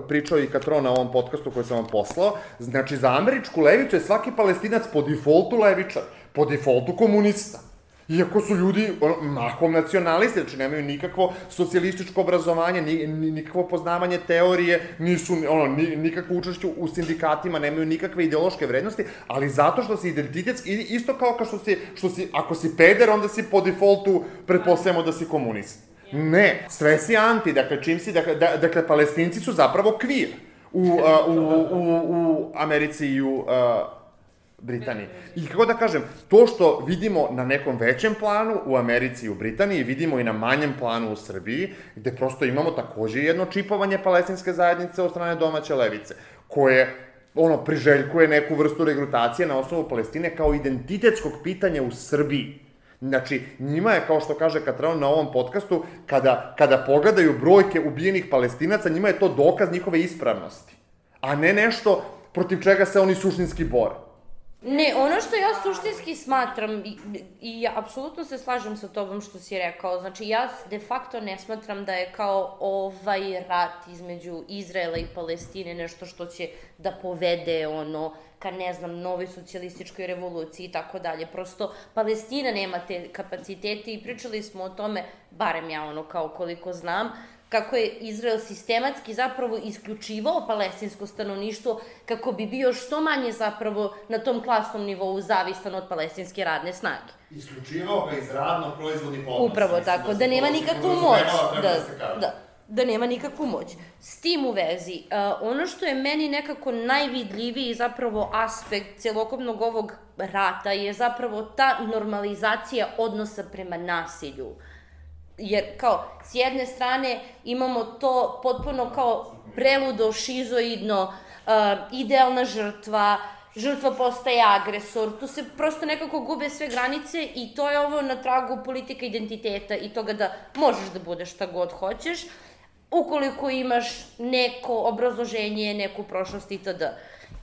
pričao i Katron na ovom podcastu koji sam vam poslao, znači, za američku levicu je svaki Palestinac po defaultu levičar, po defaultu komunista. Iako su ljudi mahom nacionalisti, znači nemaju nikakvo socijalističko obrazovanje, nikakvo poznavanje teorije, nisu, nikakvo učešće u sindikatima, nemaju nikakve ideološke vrednosti, ali zato što si identitetski, isto kao što si, ako si peder, onda si po defaultu pretpostavljamo da si komunist. Ne, sve si anti, dakle, čim si, dakle, Palestinci su zapravo kvir u Americi i u Britaniji. I kako da kažem, to što vidimo na nekom većem planu u Americi i u Britaniji, vidimo i na manjem planu u Srbiji, gde prosto imamo takođe jedno čipovanje palestinske zajednice od strane domaće levice, koje priželjkuje neku vrstu regrutacije na osnovu Palestine kao identitetskog pitanja u Srbiji. Znači, njima je, kao što kaže Katrana na ovom podcastu, kada pogledaju brojke ubijenih Palestinaca, njima je to dokaz njihove ispravnosti, a ne nešto protiv čega se oni suštinski bore. Ne, ono što ja suštinski smatram, i ja apsolutno se slažem sa tobom što si rekao, znači ja de facto ne smatram da je kao ovaj rat između Izraela i Palestine nešto što će da povede ka, ne znam, novoj socijalističkoj revoluciji i tako dalje. Prosto, Palestina nema te kapacitete i pričali smo o tome, barem ja kao koliko znam, kako je Izrael sistematski zapravo isključivao palestinsko stanovništvo kako bi bio što manje zapravo na tom klasnom nivou zavistan od palestinske radne snage. Isključivao ga iz radno-proizvodnih odnosa. Upravo tako, da nema nikakvu moć. Da nema nikakvu moć. S tim u vezi, ono što je meni nekako najvidljiviji zapravo aspekt celokupnog ovog rata je zapravo ta normalizacija odnosa prema nasilju. Jer, kao, s jedne strane imamo to potpuno kao preludo, šizoidno, idealna žrtva postaje agresor, tu se prosto nekako gube sve granice i to je ovo na tragu politika identiteta i toga da možeš da budeš šta god hoćeš, ukoliko imaš neko obrazloženje, neku prošlost itd.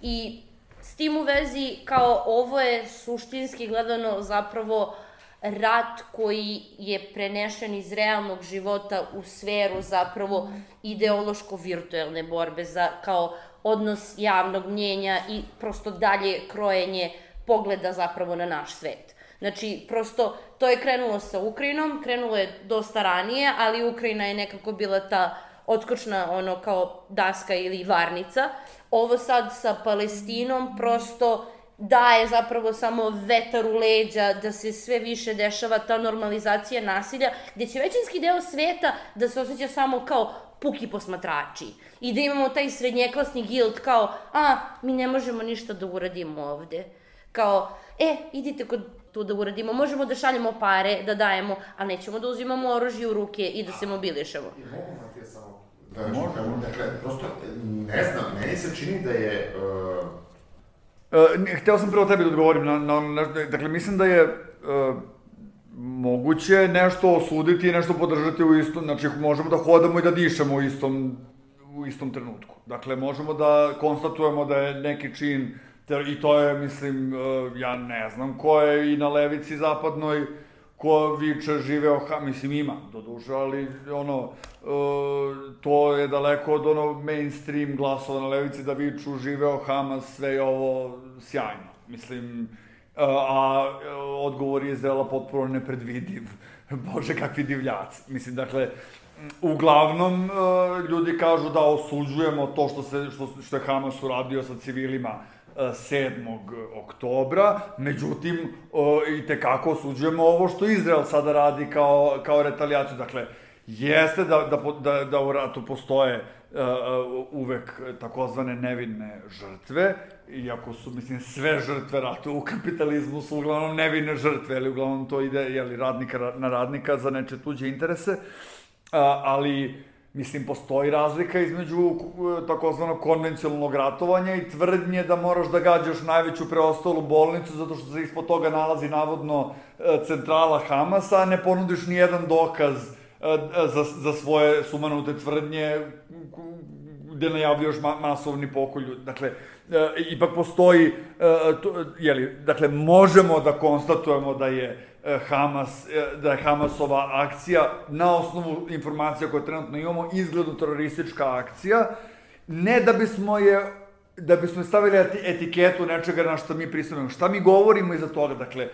I s tim u vezi, kao, ovo je suštinski gledano zapravo rat koji je prenešen iz realnog života u sferu zapravo ideološko-virtuelne borbe za kao odnos javnog mnjenja i prosto dalje krojenje pogleda zapravo na naš svet. Znači, prosto, to je krenulo sa Ukrajinom, krenulo je dosta ranije, ali Ukrajina je nekako bila ta odskočna kao daska ili varnica. Ovo sad sa Palestinom prosto daje zapravo samo vetar u leđa, da se sve više dešava ta normalizacija nasilja, gde će većinski deo sveta da se osjeća samo kao puki posmatrači i da imamo taj srednjeklasni gild kao, mi ne možemo ništa da uradimo ovde. Kao, idite kod tu da uradimo, možemo da šaljemo pare, da dajemo, ali nećemo da uzimamo oružje u ruke i da se mobilišemo. I mogu Matija samo da kažem, dakle, prosto, ne znam, meni se čini da je... Hteo sam prvo tebi da odgovorim dakle, mislim da je moguće nešto osuditi i nešto podržati u istom, znači možemo da hodamo i da dišemo u istom trenutku. Dakle, možemo da konstatujemo da je neki čin, i to je, mislim, ja ne znam ko je i na levici zapadnoj, ko viče živeo Hamas, mislim ima, doduše, ali to je daleko od mainstream glasova na levici da viču živeo Hamas, sve je ovo sjajno, mislim, a odgovor je Izraela potpuno nepredvidiv, bože kakvi divljaci, mislim, dakle, uglavnom ljudi kažu da osuđujemo to što je Hamas uradio sa civilima 7. oktobra, međutim, i tekako osuđujemo ovo što Izrael sada radi kao retalijaciju. Dakle, jeste da u ratu postoje uvek takozvane nevinne žrtve, iako su, mislim, sve žrtve rata u kapitalizmu su uglavnom nevine žrtve, ali uglavnom to ide radnika na radnika za neče tuđe interese, ali mislim, postoji razlika između takozvanog konvencionalnog ratovanja i tvrdnje da moraš da gađaš najveću preostalu bolnicu zato što se ispod toga nalazi navodno centrala Hamasa, a ne ponudiš ni jedan dokaz za svoje sumanute tvrdnje gde najavljaš masovni pokolj. Dakle, ipak postoji, dakle, možemo da konstatujemo da je Hamasova akcija, na osnovu informacija koje trenutno imamo, izgledno teroristička akcija, ne da bismo je stavili etiketu nečega na što mi pristupimo. Šta mi govorimo iza toga? Dakle,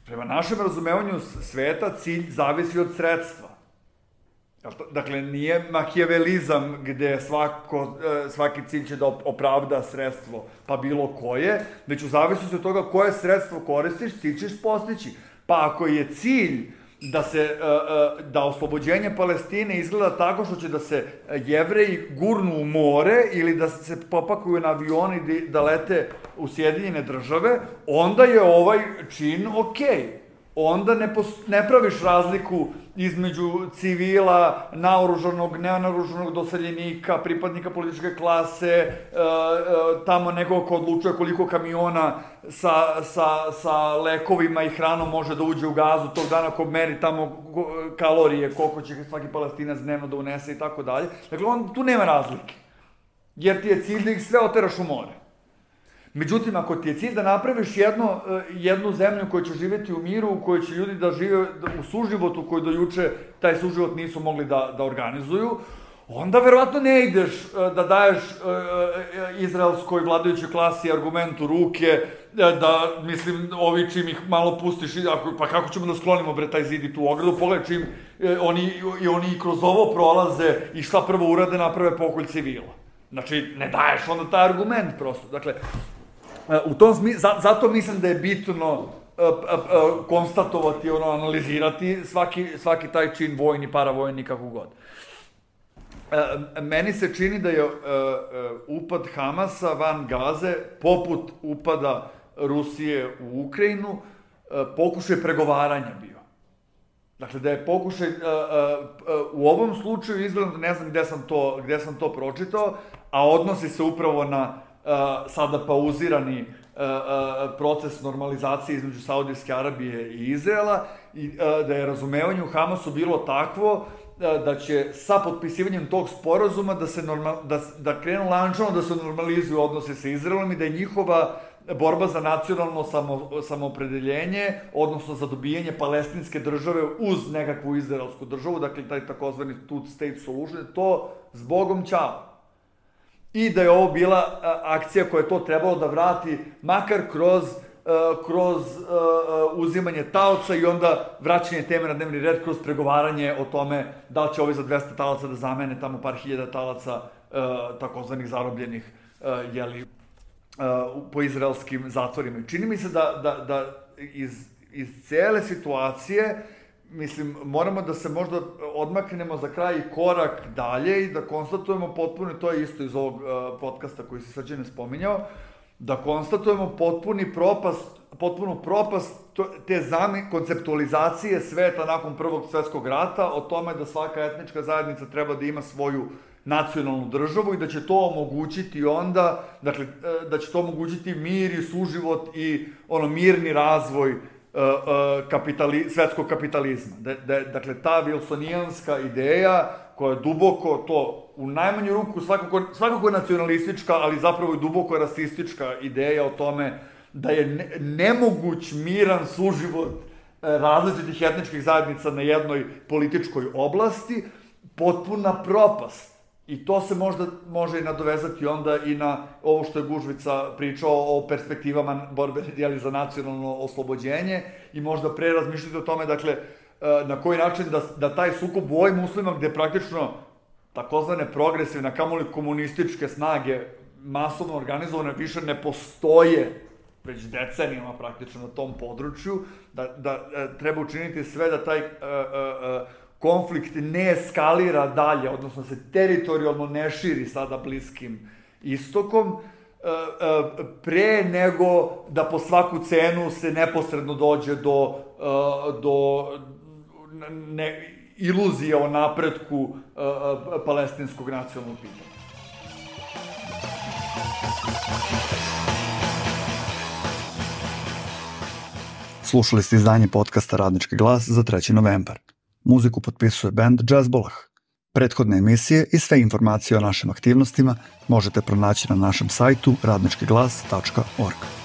prema našem razumevanju sveta cilj zavisi od sredstva. Dakle, nije makijavelizam gde svaki cilj će da opravda sredstvo, pa bilo koje, već u zavisnosti od toga koje sredstvo koristiš, cilj ćeš postići. Pa ako je cilj da oslobođenje Palestine izgleda tako što će da se Jevreji gurnu u more ili da se popakuju na avioni da lete u Sjedinjene države, onda je ovaj čin okej. Onda ne praviš razliku između civila, naoružanog, nenaoružanog doseljenika, pripadnika političke klase, tamo nekog ko odlučuje koliko kamiona sa lekovima i hranom može da uđe u Gazu tog dana, ko meri tamo kalorije, koliko će svaki Palestinac dnevno da unese i tako dalje. Dakle, tu nema razlike, jer ti je cilj da ih sve oteraš u more. Međutim, ako ti je cilj da napraviš jednu zemlju koja će živjeti u miru, u kojoj će ljudi da žive u suživotu koji do juče taj suživot nisu mogli da organizuju, onda verovatno ne ideš da daješ izraelskoj vladajućoj klasi argument u ruke, da, mislim, ovi čim ih malo pustiš, pa kako ćemo da sklonimo taj zid i tu ogradu, pogledaj čim oni kroz ovo prolaze i šta prvo urade, naprave pokolj civila. Znači, ne daješ onda taj argument prosto. Dakle, u tom smislu, zato mislim da je bitno konstatovati, analizirati svaki taj čin, vojni, paravojni, kako god. Meni se čini da je upad Hamasa van Gaze, poput upada Rusije u Ukrajinu, pokušaj pregovaranja bio. Dakle, da je pokušaj, u ovom slučaju izgledam, ne znam gde sam to pročitao, a odnosi se upravo na sada pauzirani proces normalizacije između Saudijske Arabije i Izraela, i da je razumevanje u Hamasu bilo takvo da će sa potpisivanjem tog sporazuma da krenu lančano da se normalizuju odnose sa Izraelom i da je njihova borba za nacionalno samoopredeljenje, odnosno za dobijanje palestinske države uz nekakvu izraelsku državu, dakle taj takozvani two-state solution, to zbogom ćao. I da je ovo bila akcija koja je to trebalo da vrati, makar kroz uzimanje taoca i onda vraćanje teme na dnevni red kroz pregovaranje o tome da li će ovi za 200 talaca da zamene tamo par hiljada talaca takozvanih zarobljenih, po izraelskim zatvorima. Čini mi se da iz cele situacije, mislim, moramo da se možda odmaknemo za kraj i korak dalje i da konstatujemo potpuno, to je isto iz ovog podcasta koji se Srđan spominjao, da konstatujemo potpunu propast te konceptualizacije sveta nakon Prvog svetskog rata, o tome da svaka etnička zajednica treba da ima svoju nacionalnu državu i da će to omogućiti onda, dakle, da će to omogućiti mir i suživot i mirni razvoj svetskog kapitalizma. Dakle, ta wilsonijanska ideja koja je duboko to, u najmanju ruku, svakako nacionalistička, ali zapravo i duboko rasistička ideja o tome da je nemoguć miran suživot različitih etničkih zajednica na jednoj političkoj oblasti, potpuna propast. I to se možda može i nadovezati onda i na ovo što je Gužvica pričao o perspektivama borbe za nacionalno oslobođenje i možda pre razmišljati o tome, dakle, na koji način da taj sukob u ovim uslovima gde praktično takozvane progresivne, kamoli komunističke snage masovno organizovane više ne postoje već decenijama praktično na tom području, da treba učiniti sve da taj konflikt ne eskalira dalje, odnosno se teritorijalno ne širi sada Bliskim istokom, pre nego da po svaku cenu se neposredno dođe do iluzije o napretku palestinskog nacionalnog pitanja. Slušali ste izdanje podcasta Radnički glas za 3. novembar. Muziku potpisuje band Jazzbolah. Prethodne emisije i sve informacije o našim aktivnostima možete pronaći na našem sajtu radničkiglas.org.